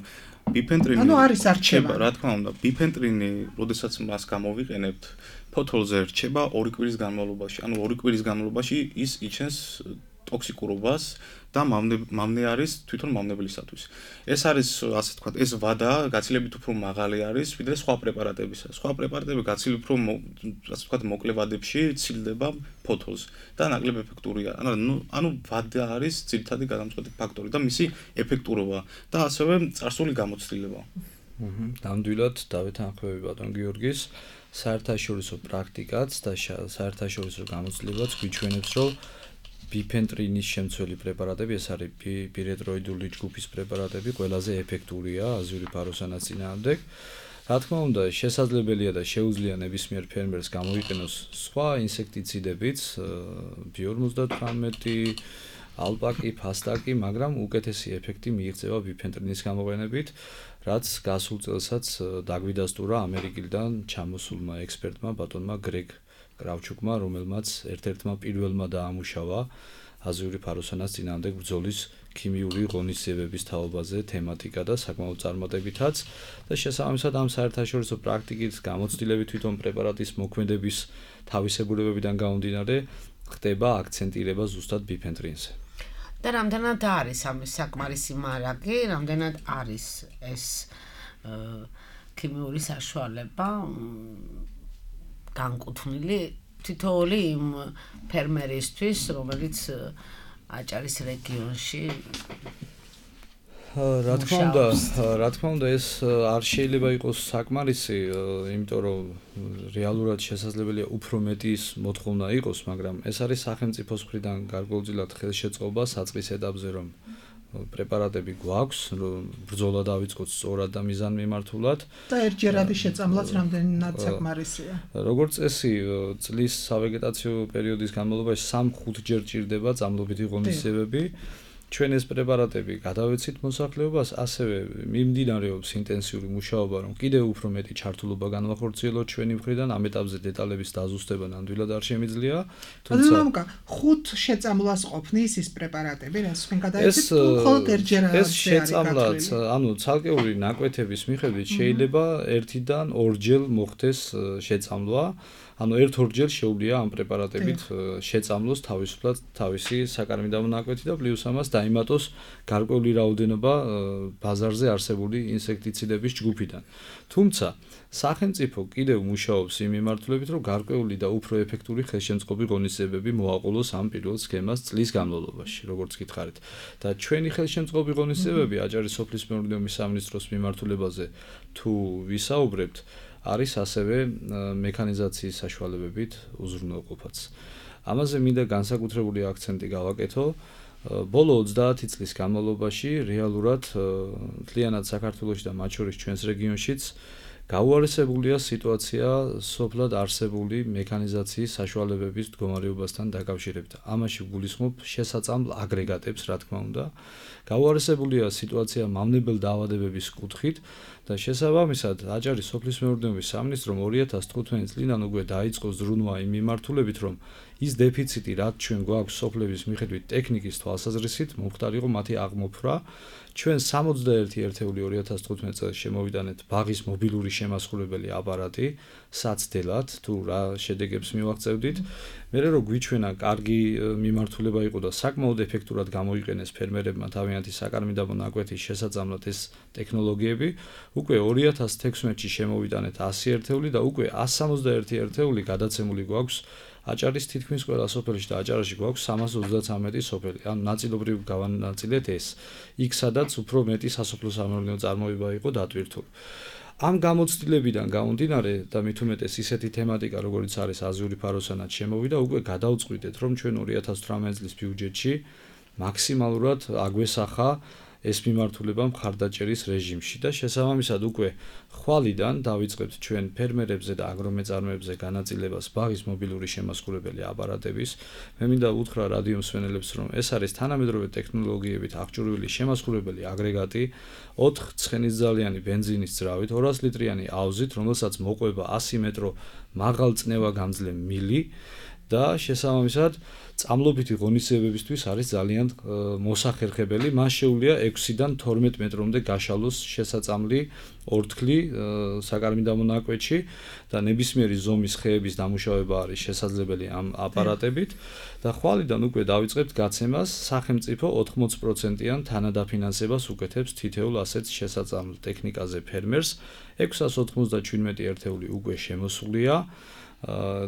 ბიფენტრინი ანუ არის არჩევანი. რა თქმა უნდა, ბიფენტრინი, როდესაც მას გამოვიყენებთ, ფოთოლზე რჩება ორი კვირის განმავლობაში. ანუ ორი კვირის განმავლობაში ის იჩენს ტოქსიკურობას და მამნე არის თვითონ მამნებლისათვის. ეს არის, ასე ვთქვათ, ეს ვადა გაცილებით უფრო მაღალი არის, ვიდრე სხვა პრეპარატებისა. სხვა პრეპარატები გაცილებით უფრო, ასე ვთქვათ, მოკლე ვადებში ცილდება ფოთოლს და ნაკლებ ეფექტურია. ანუ ანუ ვადა არის ძირითადი გადამწყვეტი ფაქტორი და მისი ეფექტურობა და ასევე წარსული გამოცდილება. აჰა, ნამდვილად დავეთანხმები ბატონ გიორგის საერთაშორისო პრაქტიკაც და საერთაშორისო გამოცდილებაც გვიჩვენებს, რომ ბიფენტრინის შემცველი პრეპარატები, ეს არის პირეტროიდული ჯგუფის პრეპარატები, ყველაზე ეფექტურია აზიური ფაროსანას წინააღმდეგ. რა თქმა უნდა, შესაძლებელია და შეუძლია ნებისმიერ ფერმერს გამოიყენოს სხვა ინსექტიციდებიც, ბი ორმოცდათვრამეტი, ალპაკი, ფასტაკი, მაგრამ უკეთესი ეფექტი მიიღწევა ბიფენტრინის გამოყენებით, რაც გასულ წელსაც დაგვიდასტურა ამერიკიდან ჩამოსულმა ექსპერტმა ბატონმა გრეგ კრავჩუკმა, რომელმაც ერთ-ერთმა პირველმა დაამუშავა აზიური ფაროსანას წინააღმდეგ ბრძოლის ქიმიური ღონისძიებების თაობაზე თემატიკა და საკმაოდ წარმატებითაც და შესაბამისად ამ საერთაშორისო პრაქტიკის გამოცდილებით თვითონ პრეპარატის მოქმედების თავისებურებებიდან გამომდინარე ხდება აქცენტირება ზუსტად ბიფენტრინზე. და რამდენად არის ამის საკმარისი მარაგი, რამდენად არის ეს ქიმიური საშუალება განკუთვნილი თითოეული იმ ფერმერისთვის, რომელიც აჭარის რეგიონში რა თქმა უნდა, რა თქმა უნდა ეს არ შეიძლება იყოს საკმარისი, იმიტომ რომ რეალურად შესაძლებელია უფრო მეტი ის მოთხოვნა იყოს, მაგრამ ეს არის სახელმწიფოს მხრიდან გარკვეულწილად ხელშეწყობა საწყის ეტაპზე, რომ პრეპარატები გვაქვს, რომ ბრძოლა დავიწყოთ სწორად და მიზანმიმართულად და ერთჯერადი შეწამლაც რამდენად საკმარისია. როგორც წესი, წლის სავეგეტაციო პერიოდის განმავლობაში სამ-ხუთ ჯერ ჭირდება წამლობითი ღონისძიებები. ჩვენ ეს პრეპარატები გადავეცით მოსახლეობას, ასევე მიმდინარეობს ინტენსიური მუშაობა, რომ კიდევ უფრო მეტი ჩართულობა განვახორციელოთ ჩვენი მხრიდან, ამ ეტაპზე დეტალების დაზუსტება ნამდვილად არ შემიძლია. თუმცა ხუთ შეწამლას ყოფნის ის პრეპარატები, რაც თქვენ გადაეცით, თუ მხოლოდ ერთჯერადი ეს შეწამლაც, ანუ ცალკეული ნაკვეთების მიხედვით შეიძლება ერთიდან ორჯერ მოხდეს შეწამლვა. ანუ ერთ-ორჯერ შეუძლია ამ პრეპარატებით შეწამლოს თავისუფლად თავისი საკარმიდამო ნაკვეთი და პლუს ამას დაიმატოს გარკვეული რაოდენობა ბაზარზე არსებული ინსექტიციდების ჯგუფიდან. თუმცა სახელმწიფო კიდევ მუშაობს იმ მიმართულებით, რომ გარკვეული და უფრო ეფექტური ხელშემწყობი ღონისძიებები მოაყოლოს ამ პირველ სქემას წლის განმავლობაში, როგორც გითხარით. და ჩვენი ხელშემწყობი ღონისძიებები აჭარის სოფლის მეურნეობის სამინისტროს მიმართულებაზე თუ ვისაუბრებთ, არის ასევე მექანიზაციის საშუალებებით უზრუნველყოფაც. ამაზე მინდა განსაკუთრებული აქცენტი გავაკეთო. ბოლო ოცდაათი წლის განმავლობაში რეალურად მთლიანად საქართველოში და მათ შორის ჩვენს რეგიონშიც გაუარესებულია სიტუაცია სოფლად არსებული მექანიზაციის საშუალებების მდგომარეობასთან დაკავშირებით. ამაში გულისხმობ შესაწამლ აგრეგატებს, რა თქმა უნდა. გაუარესებულია სიტუაცია მავნებელ დაავადებების კუთხით და შესაბამისად აჭარის სოფლის მეურნეობის სამინისტრომ ორი ათას თხუთმეტი წლიდან უკვე დაიწყო ზრუნვა იმ მიმართულებით, რომ ის დეფიციტი, რაც ჩვენ გვაქვს სოფლების მიხედვით ტექნიკის თვალსაზრისით, მომხდარიყო მათი აღმოფხვრა. ჩვენ სამოცდაერთი ერთეული ორი ათას თხუთმეტი წელს შემოვიდანეთ ბაღის მობილური შემასხურებელი აპარატი საცდელად, თუ რა შედეგებს მივაღწევდით. მერე რომ გვიჩვენა კარგი მიმართულება იყო და საკმაოდ ეფექტურად გამოიყენეს ფერმერებმა თავიანთი საკარმიდამო ნაკვეთის შესაძამლად ეს ტექნოლოგიები, უკვე ორი ათას თექვსმეტში შემოვიდანეთ ასი ერთეული და უკვე ასი სამოცდაერთი ერთეული გადაცემული გვაქვს აჭარის თითქმის ყველა სოფელში და აჭარაში გვაქვს სამას ოცდათვრამეტი სოფელი. ანუ ნაწილობრივ გავანაწილეთ ეს. იქ სადაც უფრო მეტი სასოფლო-სამეურნეო წარმოება იყო დატვირთული. ამ გამოცდილებიდან გამომდინარე და მით უმეტეს ისეთი თემატიკა, როგორიც არის აზიური ფაროსანაც შემოვიდა, უკვე გადავწყვიტეთ, რომ ჩვენ ორი ათას თვრამეტი წლის ბიუჯეტში მაქსიმალურად აგვესახა ეს მიმართულება მხარდაჭერის რეჟიმში და შესაბამისად უკვე ხვალიდან დავიწყებთ ჩვენ ფერმერებზე და აგრომეწარმეებზე განაწილებას ბაღის მობილური შემასხურებელი აპარატების. მე მინდა უთხრა რადიო მსმენელებს, რომ ეს არის თანამედროვე ტექნოლოგიებით აღჭურვილი შემასხურებელი აგრეგატი ოთხ ცხენისძალიანი ბენზინის ძრავით, ორას ლიტრიანი აუზით, რომელსაც მოყვება ასი მეტრო მაღალწნევა გამძლე მილი და შესაბამისად წამლობითი ღონისძიებებისთვის არის ძალიან მოსახერხებელი. მას შეუძლია ექვსიდან თორმეტ მეტრამდე გაშალოს შესაწამლი ორთქლი საკარმიდამო ნაკვეთში და ნებისმიერი ზომის ხეების დამუშავება არის შესაძლებელი ამ აპარატებით და ხვალიდან უკვე დავიწყებთ გაცემას. სახელმწიფო ოთხმოცი პროცენტიან თანადაფინანსებას უკეთებს თითოეულ ასეთ შესაწამლ ტექნიკაზე ფერმერს. ექვსას ოთხმოცდაჩვიდმეტი ერთეული უკვე შემოსულია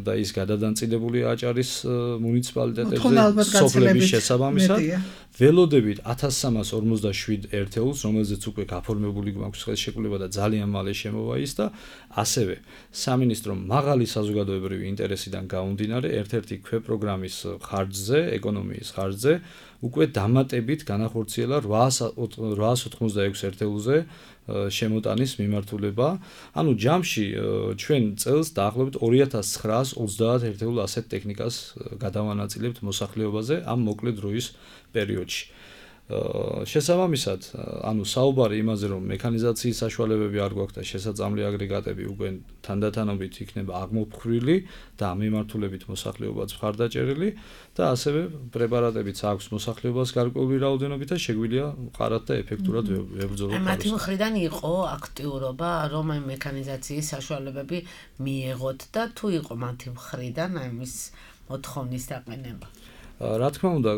და ის გადადანაწილებულია აჭარის მუნიციპალიტეტებზე სოფლების შესაბამისად ველოდებით ათას სამას ორმოცდაშვიდ ერთეულს, რომელზეც უკვე გაფორმებული გვაქვს ხელშეკრულება და ძალიან მალე შემოვა ის და ასევე სამინისტრომ მაღალი საზოგადოებრივი ინტერესიდან გამომდინარე ერთ-ერთი ქვეპროგრამის ხარჯზე, ეკონომიის ხარჯზე უკვე დამატებით განახორციელა რვაას ოთხმოცდაექვსი ერთეულზე შემოტანის მიმართულება. ანუ ჯამში ჩვენ წელს დაახლოებით ორი ათას ცხრაას ოცდაათ ერთეულ ასეთ ტექნიკას გადავანაწილებთ მოსახლეობაზე ამ მოკლე დროის პერიოდში. შესაბამისად, ანუ საუბარი იმაზე, რომ მექანიზაციის საშუალებები არ გვაქვს და შესაძლებელი აგრეგატები უკვე თანდათანობით იქნება აღმოფხრილი და ამ მიმართულებით მოსახლეობაც მხარდაჭერილი და ასევე პრეპარატებიც აქვს მოსახლეობას გარკვეული რაოდენობით და შეგვიძლია მყარად და ეფექტურად ვებრძოლოთ. მათი მხრიდან იყო აქტიურობა, რომ ამ მექანიზაციის საშუალებები მიიღოთ და თუ იყო მათი მხრიდან ამის მოთხოვნის დაყენება. რა თქმა უნდა,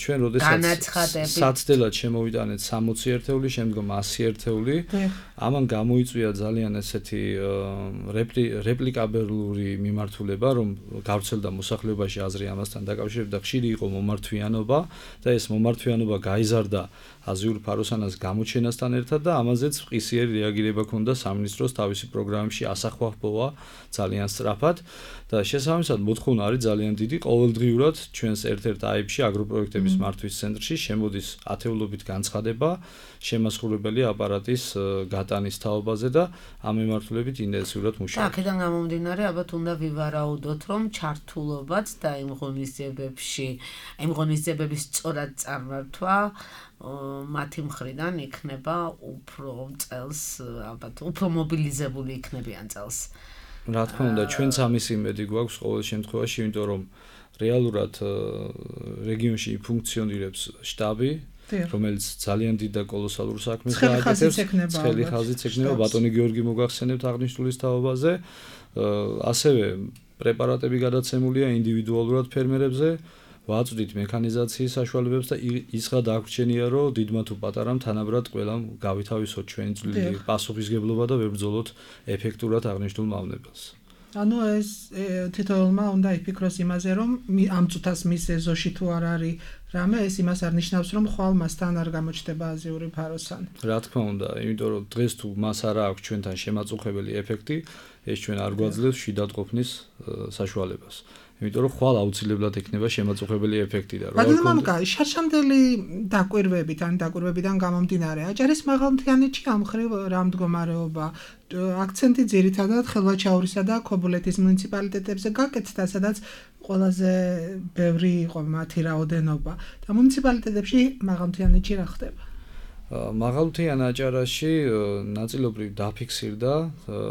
ჩვენ როდესაც საცდელად შემოვიტანეთ სამოცი ერთეული, შემდგომ ასი ერთეული, ამან გამოიწვია ძალიან ესეთი რეპლიკაბელური მიმართულება, რომ გავრცელდა მოსახლეობაში აზრი ამასთან დაკავშირებით და ხშირი იყო მომართვიანობა და ეს მომართვიანობა გაიზარდა აზიურ ფაროსანას გამოჩენასთან ერთად და ამაზეც ყისიერი რეაგირება ჰქონდა სამინისტროს თავისი პროგრამებში ასახვახბოვა ძალიან სწრაფად და შესაბამისად მოთხოვნა არის ძალიან დიდი. ყოველდღიურად ჩვენს ერთ-ერთ აიბში აგროპროექტების მართვის ცენტრში შემოდის ათეულობით განცხადება შემასრულებელი აპარატის გატანის თაობაზე და ამ მიმართულებით ინტენსიურად მუშაობთ. და აქედან გამომდინარე, ალბათ უნდა ვივარაუდოთ, რომ ჩართულობაც და იმ ღონისძიებებში, იმ ღონისძიებების სწორად წარმართვა მათი მხრიდან იქნება უფრო წელს, ალბათ უფრო მობილიზებული იქნებიან წელს. რა თქმა უნდა, ჩვენც ამის იმედი გვაქვს ყოველ შემთხვევაში, იმიტომ რომ რეალურად რეგიონში ფუნქციონირებს შტაბი, რომელიც ძალიან დიდ და კოლოსალურ საქმეს გააკეთებს. ცხელი ხაზიც ექნება ბატონი გიორგი მოგახსენებთ აღნიშნულის თაობაზე. ასევე პრეპარატები გადაცემულია ინდივიდუალურად ფერმერებზე. ვაწვდით მექანიზაციის საშუალებებს და ის რა დაგვრჩენია, რომ დიდმა თუ პატარამ თანაბრად ყველამ გავითავისოთ ჩვენი წვლილი პასუხისგებლობა და ვებრძოლოთ ეფექტურად აღნიშნულ მავნებელს. ანუ ეს თითოეულმა უნდა იფიქროს იმაზე, რომ ამ წუთას მის ეზოში თუ არ არის რამე, ეს იმას არ ნიშნავს, რომ ხვალ მასთან არ გამოჩნდება აზიური ფაროსანი. რა თქმა უნდა, იმიტომ რომ დღეს თუ მას არ აქვს ჩვენთან შემაწუხებელი ეფექტი, ეს ჩვენ არ გვაძლევს შიდად ყოფნის საშუალებას. იმიტომ რომ ხვალ აუცილებლად ექნება შემაწუხებელი ეფექტი და რა თქმა უნდა, შარშანდელი დაკვირვებით, ან დაკვირვებიდან გამომდინარე, აჭარის მაღალმთიანეთში ამ ხრივ რა მდგომარეობა, აქცენტი ძირითადად ხელვაჩაურისა და ქობულეთის მუნიციპალიტეტებზე გაკეთდა, სადაც ყველაზე ბევრი იყო მათი რაოდენობა და მუნიციპალიტეტებში მაღალმთიანეთში რა ხდება? მაღალმთიან აჭარაში ნაწილობრივ დაფიქსირდა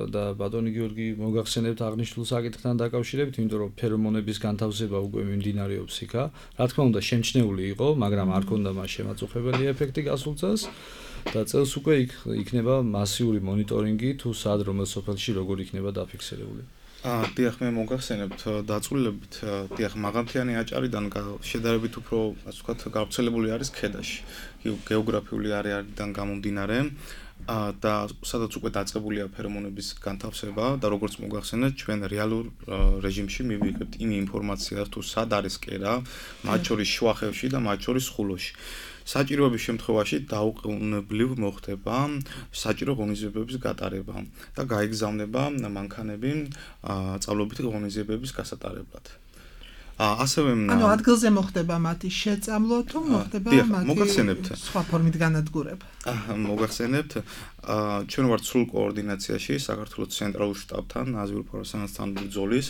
და ბატონი გიორგი მოგახსენებთ აღნიშნულ საკითხთან დაკავშირებით, იმიტომ რომ ფერომონების განთავსება უკვე მიმდინარეობს იქა. რა თქმა უნდა, შემჩნეული იყო, მაგრამ არ ქონდა მას შემაწუხებელი ეფექტი გასულ წელს და წელს უკვე იქნება მასიური მონიტორინგი თუ სად რომელ სოფელში როგორ იქნება დაფიქსირებული. აა, დიახ, მე მოგახსენებთ დაწვრილებით, დიახ, მაღალმთიანი აჭარიდან შედარებით უფრო, ასე ვთქვათ, გავრცელებული არის ქედაში. გეოგრაფიული არეალიდან გამომდინარე და სადაც უკვე დაწყებულია ფერომონების განთავსება და როგორც მოგახსენეთ, ჩვენ რეალურ რეჟიმში მივიღებთ იმ ინფორმაციას, თუ სად არის კერა, მათ შორის შუახევში და მათ შორის ხულოში. საჭიროების შემთხვევაში დაუყოვნებლივ მოხდება საჭირო ღონისძიებების გატარება და გაიგზავნება მანქანები სწავლობითი ღონისძიებების გასატარებლად. ასევე ანუ ადგილზე მოხდება მათი შეწამლო თუ მოხდება მათი სხვა ფორმით განადგურება? მოგახსენებთ, ჩვენ ვართ სრულ კოორდინაციაში საქართველოს ცენტრალურ შტაბთან, აზიურ ფაროსანასთან ბრძოლის,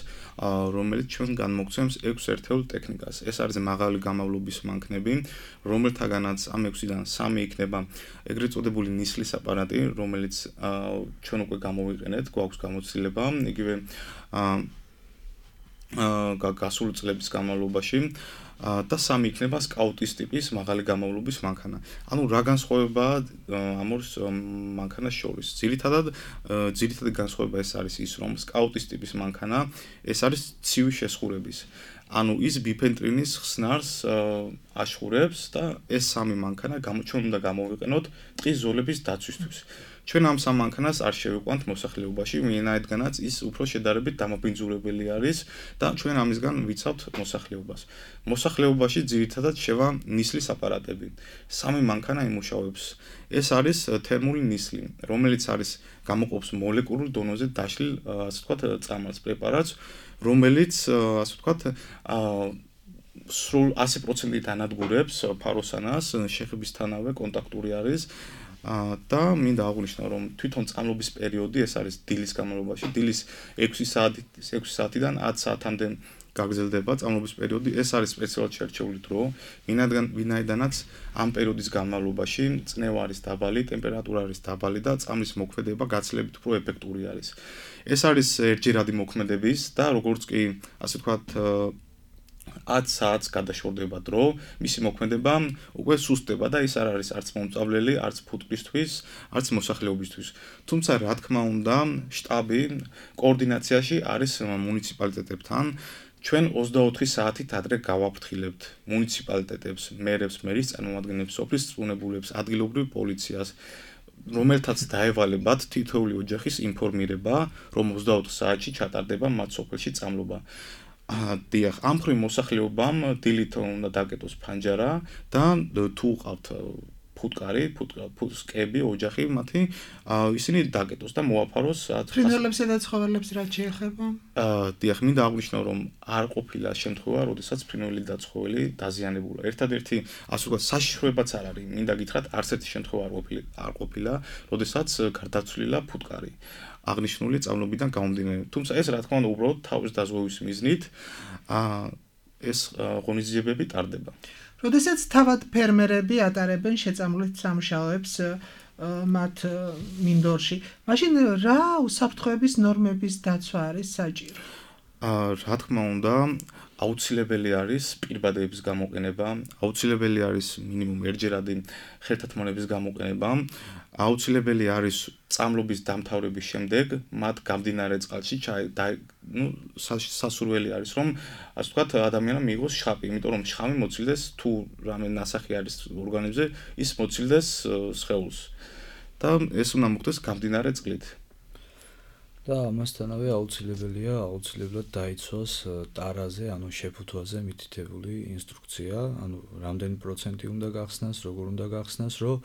რომელიც ჩვენ განმოგცემს ექვს ერთეულ ტექნიკას. ეს არის მაღალი გამავლობის მანქანები, რომელთაგანაც ამ ექვსიდან სამი იქნება ეგრეთ წოდებული ნისლის აპარატი, რომელიც ჩვენ უკვე გამოვიყენეთ, გვაქვს გამოცდილება, იგივე გასული წლების განმავლობაში და სამი იქნება სკაუტის ტიპის მაღალი გამავლობის მანქანა. ანუ რა განსხვავებაა ამ ორ მანქანას შორის? ძირითადად ძირითადი განსხვავება ეს არის ის, რომ სკაუტის ტიპის მანქანა ეს არის ცივი შესხურების. ანუ ის ბიფენტრინის ხსნარს ашხურებს და ეს სამი მანქანა ჩვენ უნდა გამოვიყენოთ ტყის ზოლების დაცვისთვის. ჩვენ ამ სამ მანქანას არ შევიყვანთ მოსახლეობაში, ვინაიდანაც ის უფრო შედარებით დამაბინძურებელი არის და ჩვენ ამისგან ვიცავთ მოსახლეობას. მოსახლეობაში ძირითადად შევა ნისლის აპარატები. სამი მანქანა იმუშავებს. ეს არის თერმული ნისლი, რომელიც არის გამოყოფს მოლეკულურ დონეზე დაშლილ, ასე ვთქვათ, წამალს პრეპარატს, რომელიც, ასე ვთქვათ, სრულ ასი პროცენტით ანადგურებს ფაროსანას, შეხებისთანავე კონტაქტური არის. და მინდა აღვნიშნო, რომ თვითონ წამლობის პერიოდი ეს არის დილის განმავლობაში, დილის ექვსი საათიდან ათი საათამდე გაგრძელდება წამლობის პერიოდი. ეს არის სპეციალურად შერჩეული დრო, ვინაიდანაც ამ პერიოდის განმავლობაში წნევა არის დაბალი, ტემპერატურა არის დაბალი და წამლის მოქმედება გაცილებით უფრო ეფექტური არის. ეს არის ერთჯერადი მოქმედების და როგორც კი, ასე ვთქვათ, ათი საათს გადაშორდება დრო, მისი მოქმედება უკვე სუსტდება და ის არ არის არც მომწავლელი, არც ფუტკრისთვის, არც მოსახლეობისთვის. თუმცა, რა თქმა უნდა, შტაბი კოორდინაციაში არის მუნიციპალიტეტებთან. ჩვენ ოცდაოთხი საათით ადრე გავაფრთხილებთ მუნიციპალიტეტებს, მერებს, მერის წარმომადგენლებს, სოფლის წვრთნებულებს, ადგილობრივ პოლიციას, რომელთაც დაევალებათ თითოეული ოჯახის ინფორმირება, რომ ოცდაოთხ საათში ჩატარდება მათ სოფელში წამლობა. დიახ, ამ მხრივ მოსახლეობამ დილით უნდა დაკეტოს ფანჯარა და თუ ყავთ ფუტკარი, ფუტკები, ოჯახი მათი, ისინი დაკეტოს და მოაფაროს. ფრინველებსა და ცხოველებს რა შეეხება? დიახ, მინდა აღვნიშნო, რომ არ ყოფილა შემთხვევა, როდესაც ფრინველი და ცხოველი დაზიანებულა. ერთადერთი, ასე ვთქვათ, საშიშროებაც არ არის. მინდა გითხრათ, არც ერთი შემთხვევა არ ყოფილა, როდესაც გარდაცვლილა ფუტკარი. აღნიშნული წამლებიდან გამომდინარე. თუმცა ეს რა თქმა უნდა უბრალოდ თავის დაზღვევის მიზნით ეს ღონისძიებები ტარდება. როდესაც თავად ფერმერები ატარებენ შეწამლით სამუშაოებს მათ მინდორში, მაშინ რა უსაფრთხოების ნორმების დაცვა არის საჭირო? რა თქმა უნდა, აუცილებელი არის პირბადეების გამოყენება, აუცილებელი არის მინიმუმ ერთჯერადი ხერთათმონების გამოყენება, აუცილებელი არის წამლობის დამთავრების შემდეგ მათ გამდინარე წყალში ნუ სასურველი არის რომ ასე ვთქვათ ადამიანმა მიიღოს შხამი, იმიტომ რომ შხამი მოცილდეს თუ რამე ნასახი არის ორგანიზმზე, ის მოცილდეს სხეულს და ეს უნდა მოხდეს გამდინარე წყლით. და ამასთანავე აუცილებელია აუცილებლად დაიცვას ტარაზე, ანუ შეფუთვაზე მითითებული ინსტრუქცია, ანუ რამდენი პროცენტი უნდა გახსნას, როგორ უნდა გახსნას, რომ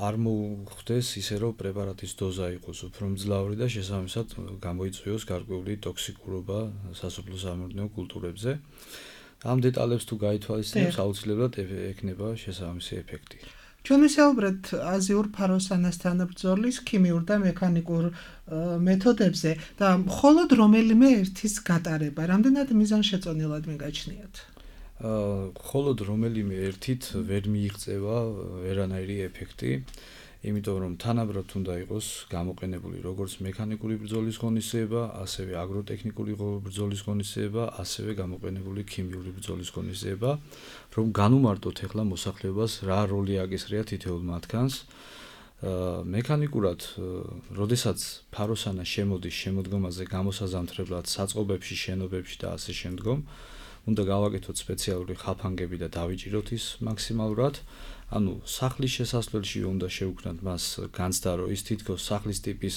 არ მოხდეს ისე, რომ პრეპარატის დოზა იყოს უფრო მძლავრი და შესაბამისად გამოიწვიოს გარკვეული ტოქსიკურობა სასოფლო-სამეურნეო კულტურებზე. ამ დეტალებს თუ გაითვალისწინებს, აუცილებლად ექნება შესაბამისი ეფექტი. ჩვენ ვისაუბრეთ აზიურ ფაროსანასთან ბრძოლის ქიმიურ და მექანიკურ მეთოდებზე და მხოლოდ რომელიმე ერთის გატარება რამდენად მიზანშეწონილად მიგაჩნიათ? მხოლოდ რომელიმე ერთით ვერ მიიღწევა ვერანაირი ეფექტი, იმიტომ რომ თანაბრად უნდა იყოს გამოყენებული როგორც მექანიკური ბრძოლის ღონისძიება, ასევე აგროტექნიკური ბრძოლის ღონისძიება, ასევე გამოყენებული ქიმიური ბრძოლის ღონისძიება, რომ განუმარტოთ ახლა მოსახლეობას რა როლი აკისრია თითოეულ მათგანს. მექანიკურად, როდესაც ფაროსანა შემოდის შემოდგომაზე გამოსაზამთრებლად საწყობებში, შენობებში და ასე შემდგომ, უნდა გავაკეთოთ სპეციალური ხაფანგები და დავიჭიროთ ის მაქსიმალურად. ანუ სახლის შესასვლელში უნდა შევქმნათ მას განცდა, რომ ის თითქოს სახლის ტიპის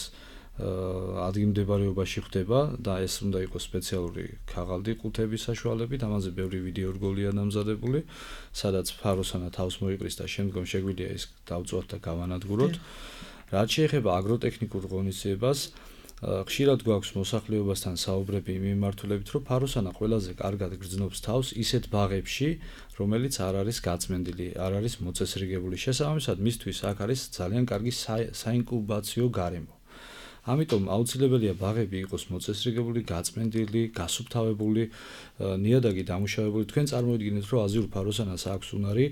ადგილმდებარეობაში ხდება და ეს უნდა იყოს სპეციალური ქაღალდი ყუთების საშუალებით, ამაზე ბევრი ვიდეო რგოლია დამზადებული, სადაც ფაროსანა თავს მოიყრის და შემდგომ შეგვიძლია ის დავწვათ და გავანადგუროთ. რაც შეეხება აგროტექნიკურ ღონისძიებას, ხშირად გვაქვს მოსახლეობასთან საუბრები იმ მიმართულებით, რომ ფაროსანა ყველაზე კარგად გრძნობს თავს ისეთ ბაღებში, რომელიც არ არის გაწმენდილი, არ არის მოწესრიგებული. შესაბამისად, მისთვის აქ არის ძალიან კარგი საინკუბაციო გარემო. ამიტომ აუცილებელია ბაღები იყოს მოწესრიგებული, გაწმენდილი, გასუფთავებული, ნიადაგი დამუშავებული. თქვენ წარმოიდგინეთ, რომ აზიურ ფაროსანას აქვს უნარი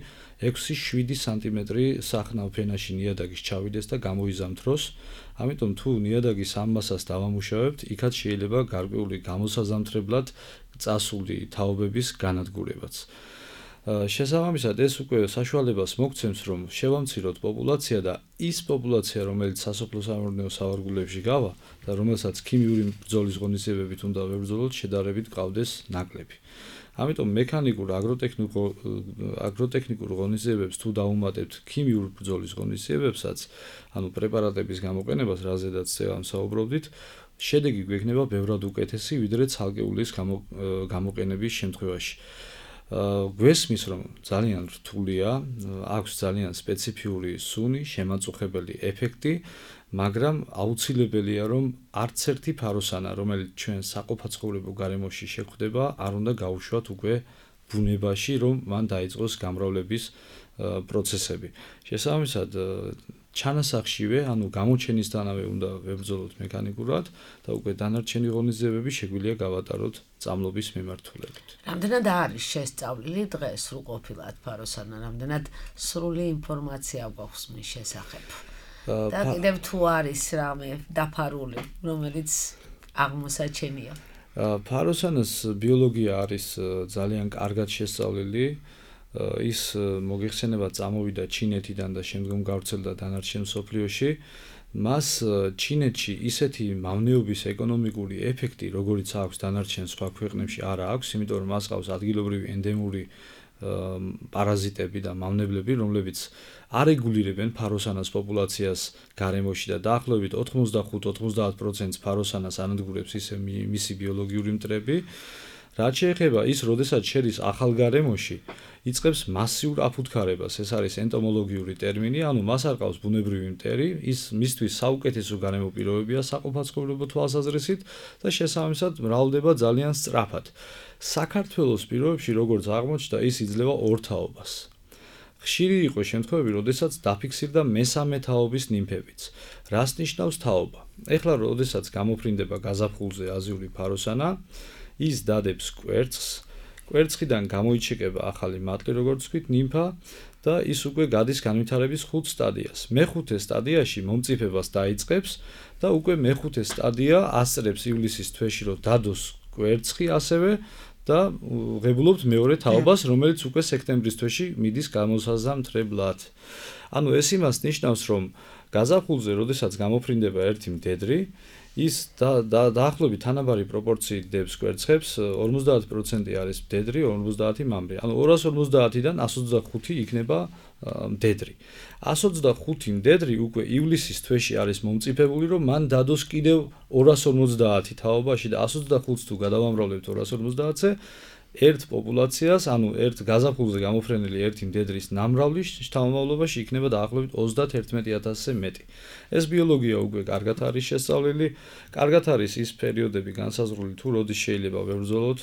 ექვსი შვიდი სანტიმეტრი სახნავ ფენაში ნიადაგის ჩავიდეს და გამოიზამთროს. ამიტომ თუ ნიადაგის ამ მასას დავამუშავებთ, იქაც შეიძლება გარკვეული გამოსაზამთრებლად წასული თაობების განადგურებაც. შესაბამისად, ეს უკვე საშუალებას მოგცემს, რომ შევამციროთ პოპულაცია და ის პოპულაცია, რომელიც სასოფლო-სამეურნეო სავარგულებში გავა და რომელსაც ქიმიური ბრძოლის ღონისძიებებით უნდა ვებრძოლოთ, შედარებით გყავდეს ნაკლები. ამიტომ მექანიკურ აგროტექნიკურ აგროტექნიკურ ღონისძიებებს თუ დაუმატებთ ქიმიურ ბრძოლის ღონისძიებებსაც, ანუ პრეპარატების გამოყენებას, რაზედაც ამ საუბრობდით, შედეგი გვექნება ბევრად უკეთესი, ვიდრე ცალკეულის გამოყენების შემთხვევაში. გვესმის, რომ ძალიან რთულია, აქვს ძალიან სპეციფიური სუნი, შემაწუხებელი ეფექტი, მაგრამ აუცილებელია, რომ არც ერთი ფაროსანა, რომელიც ჩვენ საყოფაცხოვრებო გარემოში შეხვდება, არ უნდა გაუშვათ უკვე ბუნებაში, რომ მან დაიწყოს გამრავლების პროცესები. შესაბამისად, ჩანასახშივე, ანუ გამოჩენისთანავე უნდა ვებრძოლოთ მექანიკურად და უკვე დანარჩენი ღონისძიებები შეგვიძლია გავატაროთ წამლობის მიმართულებით. რამდენად არის შესწავლილი დღეს სრულყოფილად ფაროსანა, რამდენად სრული ინფორმაცია გვაქვს მის შესახებ? და კიდევ თუ არის რამე დაფარული, რომელიც აღმოსაჩენია. ფაროსანას ბიოლოგია არის ძალიან კარგად შესწავლილი. ის მოგიხსენება წამოვიდა ჩინეთიდან და შემდგომ გავრცელდა დანარჩენ მსოფლიოში. მას ჩინეთში ისეთი მავნეობის ეკონომიკური ეფექტი, როგორიც აქვს დანარჩენ სხვა ქვეყნებში, არ აქვს, იმიტომ რომ მას ყავს ადგილობრივი ენდემური პარაზიტები და მავნებლები, რომლებიც არეგულირებენ ფაროსანას პოპულაციას გარემოში და დაახლოებით ოთხმოცდახუთ-ოცდაათ პროცენტს ფაროსანას ანადგურებს ისე მისი ბიოლოგიური მტრები. რაც შეეხება ის, როდესაც შედის ახალ გარემოში, იწყებს მასიურ აფუთხარებას, ეს არის ენტომოლოგიური ტერმინი, ანუ მას არ ყავს ბუნებრივი მტერი, ის მისთვის საუკეთესო გარემო პირობებია საყოფაცხოვრებო თვალსაზრისით და შესაბამისად მრავლდება ძალიან სწრაფად. საქართველოს პირობებში, როგორც აღმოჩნდა, ის იძლევა ორ თაობას. ხშირი იყო შემთხვევები, როდესაც დაფიქსირდა მესამე თაობის ნიმფებიც. რას ნიშნავს თაობა? ეხლა, როდესაც გამოფრინდება გაზაფხულზე აზიური ფაროსანა, ის დადებს კვერცხს, კვერცხიდან გამოიჩეკება ახალი მატლი, როგორც ვთქვით, ნიმფა და ის უკვე გადის განვითარების ხუთ სტადიას. მეხუთე სტადიაში მომწიფებას დაიწყებს და უკვე მეხუთე სტადია ასწრებს ივლისის თვეში, რომ დადოს კვერცხი ასევე და ღებულობთ მეორე თაობას, რომელიც უკვე სექტემბრის თვეში მიდის გამოსაზამთრებლად. ანუ ეს იმას ნიშნავს, რომ გაზაფხულზე, როდესაც გამოფრინდება ერთი მდედრი, ის დაახლოებით თანაბარი პროპორციით დებს კვერცხებს, ორმოცდაათ პროცენტი არის მდედრი, ორმოცდაათი მამრი. ანუ ორას ორმოცდაათიდან εκατს ოცდახუთი იქნება მდედრი. εκατს ოცდახუთი მდედრი უკვე ივლისის თვეში არის მომწიფებული, რომ მან დადოს კიდევ ორას ორმოცდაათი თაობაში და εκατს ოცდახუთს თუ გადავამრავლებთ ორას ორმოცდაათზე, ერთ პოპულაციას, ანუ ერთ გაზაფხულზე გამოფრენილი ერთი მდედრის ნამრავლის შთამომავლობაში იქნება დაახლოებით ოცდაათი ათასზე მეტი. ეს ბიოლოგია უკვე კარგად არის შესწავლილი, კარგად არის ის პერიოდები განსაზღვრული, თუ როდის შეიძლება ვებრძოლოთ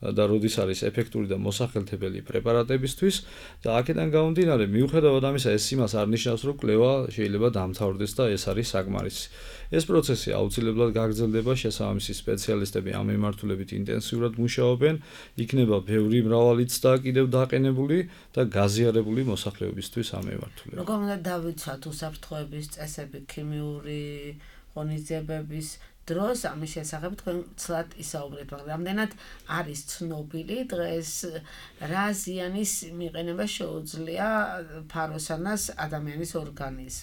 და როდის არის ეფექტური და მოსახელთებელი პრეპარატებისთვის და აქედან გამომდინარე, მიუხედავად ამისა, ეს იმას არ ნიშნავს, რომ კვლევა შეიძლება დამთავრდეს და ეს არის საკმარისი. ეს პროცესი აუცილებლად გაგრძელდება, შესაბამისი სპეციალისტები ამ მიმართულებით ინტენსიურად მუშაობენ, იქნება ბევრი მრავალი ცდა კიდევ დაყენებული და გაზიარებული მოსახლეობისთვის ამ მიმართულებით. როგორ უნდა დავიცვათ უსაფრთხოების წესები, ქიმიური ღონისძიებების დროს ამის შესახებ თქვენ ცლად ისაუბრეთ, მაგრამ რამდენად არის ცნობილი დღეს რა ზიანის მიყენება შეუძლია ფაროსანას ადამიანის ორგანიზმს?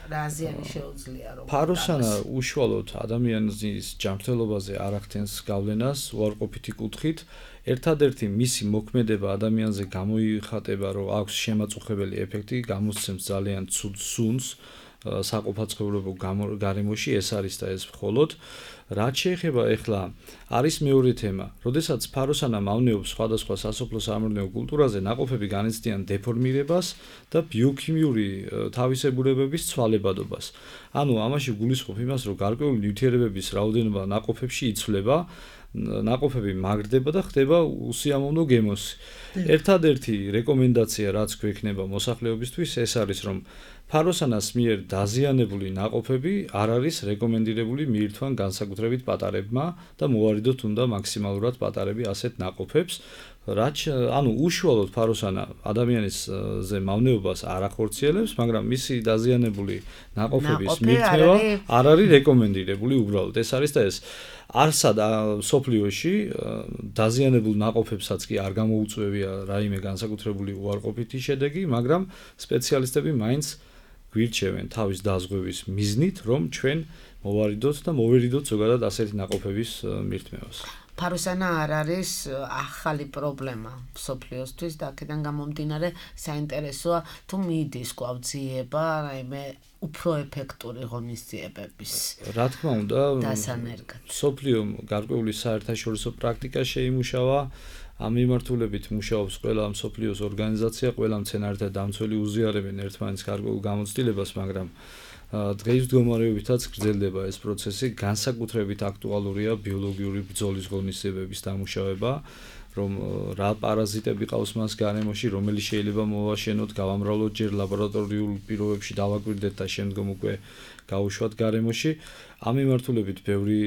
რა ზიანი შეუძლია რომ ფაროსანა უშუალოდ ადამიანის ჯანმრთელობაზე არ ახდენს გავლენას უარყოფითი კუთხით. ერთადერთი მისი მოქმედება ადამიანზე გამოიხატება, რომ აქვს შემაწუხებელი ეფექტი, გამოსცემს ძალიან ცუდ სუნს საყოფაცხოვრებო გარემოში, ეს არის და ეს მხოლოდ. რაც შეეხება ეხლა არის მეორე თემა, როდესაც ფაროსანა მავნეობს სხვადასხვა სასოფლო-სამეურნეო კულტურაზე, ნაყოფები განიცდიან დეფორმირებას და ბიოქიმიური თავისებურებების ცვალებადობას. ანუ ამაში გულისხმობ იმას, რომ გარკვეული ნივთიერებების რაოდენობა ნაყოფებში იცვლება, ნაყოფები მაგრდება და ხდება უსიამოვნო გემოსი. ერთადერთი რეკომენდაცია, რაც გვექნება მოსახლეობისთვის, ეს არის, რომ ფაროსანას მიერ დაზიანებული ნაყოფები არ არის რეკომენდირებული მიირთვან განსაკუთრებით პატარებმა და მოვარიდოთ უნდა მაქსიმალურად პატარები ასეთ ნაყოფებს. რაც ანუ უშუალოდ ფაროსანა ადამიანისზე მავნეობას არ ახორციელებს, მაგრამ მისი დაზიანებული ნაყოფების მირთმევა არ არის რეკომენდირებული უბრალოდ. ეს არის და ეს არსა და სოფლიოში დაზიანებულ ნაყოფებსაც კი არ გამოუწვევია რაიმე განსაკუთრებული უარყოფითი შედეგი, მაგრამ სპეციალისტები მაინც გვირჩევენ თავის დაზღვევის მიზნით, რომ ჩვენ მოვარიდოთ და მოვერიდოთ ზოგადად ასეთი ნაყოფების მირთმევას. ფაროსანა არ არის ახალი პრობლემა სოფლიოსთვის და აქედან გამომდინარე საინტერესოა თუ მიდის გვაძიება რაიმე უფრო ეფექტური ღონისძიებების. რა თქმა უნდა, დასანერგად. სოფლიო გარკვეული საერთაშორისო პრაქტიკა შეიმუშავა. ამ მიმართულებით მუშაობს ყველა მსოფლიოს ორგანიზაცია, ყველა მცენარეთა დამცველი უზიარებენ ერთმანეთს გარკვეულ გამოცდილებას, მაგრამ დღეს მდგომარეობითაც გრძელდება ეს პროცესი, განსაკუთრებით აქტუალურია ბიოლოგიური ბრძოლის ღონისძიებების დამუშავება, რომ რა პარაზიტები ყავს მას გარემოში, რომელიც შეიძლება მოვაშენოთ, გავამრავლოთ ჯერ ლაბორატორიულ პირობებში დავაკვირდეთ და შემდგომ უკვე გაუშვათ გარემოში. ამ მიმართულებით ბევრი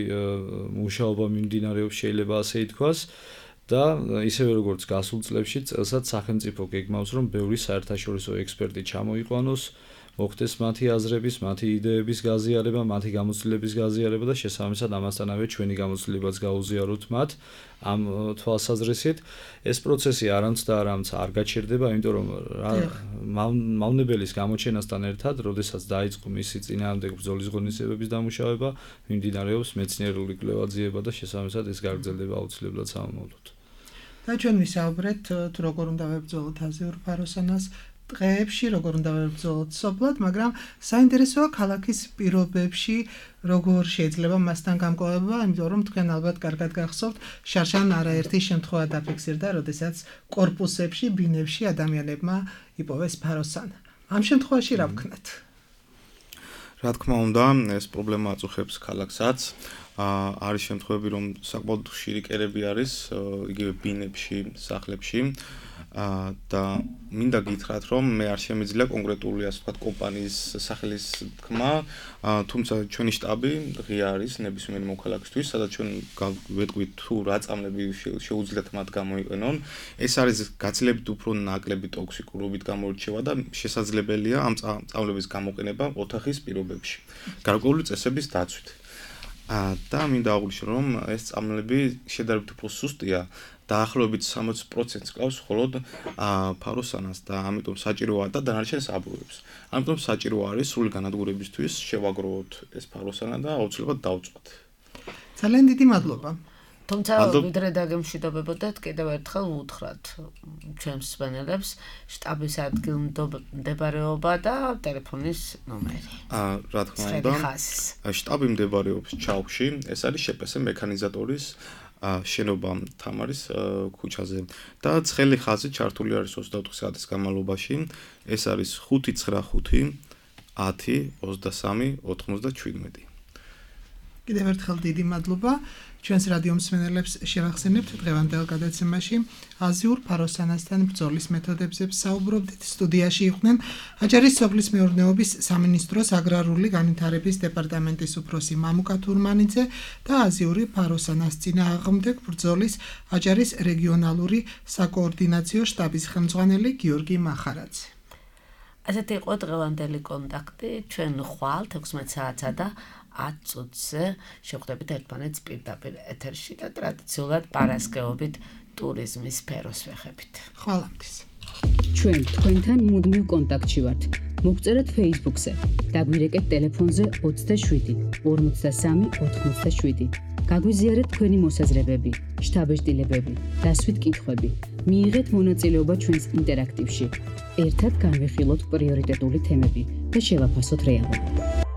მუშაობა მიმდინარეობს, შეიძლება ასე ითქვას. და ისევე როგორც გასულ წლებში წელსაც სახელმწიფო გეგმავს, რომ ბევრი საერთაშორისო ექსპერტი ჩამოიყვანოს, მოხდეს მათი აზრების, მათი იდეების გაზიარება, მათი გამოცდილების გაზიარება და შესაბამისად ამასთანავე ჩვენი გამოცდილებაც გაუზიაროთ მათ ამ თვალსაზრისით. ეს პროცესი არამც და არამც არ გაჩერდება, იმიტომ რომ მავნებელის გამოჩენასთან ერთად, როდესაც დაიწყო მისი წინააღმდეგ ბრძოლის ღონისძიებების დამუშავება, მიმდინარეობს მეცნიერული კვლევა-ძიება და შესაბამისად ეს გაგრძელდება აუცილებლად სამომავლოდ. და ჩვენ ვისაუბრეთ თუ როგორ უნდა ვებრძოლოთ აზიურ ფაროსანას დღეებში, როგორ უნდა ვებრძოლოთ სოფლად, მაგრამ საინტერესოა ქალაქის პირობებში როგორ შეიძლება მასთან გამკლავება, იმიტომ რომ თქვენ ალბათ კარგად გახსოვთ, შარშან არაერთი შემთხვევა დაფიქსირდა, როდესაც კორპუსებში, ბინებში ადამიანებმა იპოვეს ფაროსანა. ამ შემთხვევაში რა ვქნათ? რა თქმა უნდა, ეს პრობლემა აწუხებს ქალაქსაც. არის შემთხვევები, რომ საკმაოდ ხშირი კერები არის იგივე ბინებში, სახლებში. და მინდა გითხრათ, რომ მე არ შემიძლია კონკრეტული ასე ვთქვათ კომპანიის სახელის თქმა, თუმცა ჩვენი შტაბი ღია არის ნებისმიერი მოქალაქისთვის, სადაც ჩვენ ვეტყვით თუ რა წამლები შეუძლიათ მათ გამოიყენონ. ეს არის გაცილებით უფრო ნაკლები ტოქსიკურობით გამორჩევა და შესაძლებელია ამ წამლების გამოყენება ოთახის პირობებში, გარკვეული წესების დაცვით. და მინდა აღვნიშნო, რომ ეს წამლები შედარებით უფრო სუსტია. დაახლოებით სამოცი პროცენტს კლავს მხოლოდ ფაროსანას და ამიტომ საჭიროა და დანარჩენს აბურებს. ამიტომ საჭირო არის სრული განადგურებისთვის შევაგროვოთ ეს ფაროსანა და აუცილებლად დავწვათ. ძალიან დიდი მადლობა. თუმცა ვიდრე დაგემშვიდობებოდეთ, კიდევ ერთხელ ვუთხრათ ჩვენს მსმენელებს შტაბის ადგილმდებარეობა და ტელეფონის ნომერი. რა თქმა უნდა, შტაბი მდებარეობს ჩაუხში, ეს არის შპს მექანიზატორის შენობა თამარის ქუჩაზე და ცხელი ხაზი ჩართული არის ოცდაოთხ საათის განმავლობაში. ეს არის ხუთი ცხრა ხუთი ათი ოცდასამი ოთხმოცდაჩვიდმეტი. კიდევ ერთხელ დიდი მადლობა. ჩვენს რადიო მსმენელებს შევახსენებთ დღევანდელ გადაცემაში აზიურ ფაროსანასთან ბრძოლის მეთოდებზე საუბრობდით. სტუდიაში იყვნენ აჭარის სოფლის მეურნეობის სამინისტროს აგრარული განვითარების დეპარტამენტის უფროსი მამუკა თურმანიძე და აზიური ფაროსანას წინააღმდეგ ბრძოლის აჭარის რეგიონალური საკოორდინაციო შტაბის ხელმძღვანელი გიორგი მახარაძე. ასეთი იყო დღევანდელი კონტაქტი. ჩვენ ხვალ თექვსმეტ საათსა და ათ წუთზე შევხვდებით ერთმანეთს პირდაპირ ეთერში და ტრადიციულად პარასკევობით ტურიზმის სფეროს ვეხებით. ხვალამდე. ჩვენ თქვენთან მუდმივ კონტაქტში ვართ. მოგწერეთ Facebook-ზე, დაგვირეკეთ ტელეფონზე ოცდაშვიდი ორმოცდასამი ოთხმოცდაშვიდი. გაგვიზიარეთ თქვენი მოსაზრებები, შთაბეჭდილებები, დასვით კითხვები. მიიღეთ მონაწილეობა ჩვენს ინტერაქტივში. ერთად განვიხილოთ პრიორიტეტული თემები და შევაფასოთ რეალობა.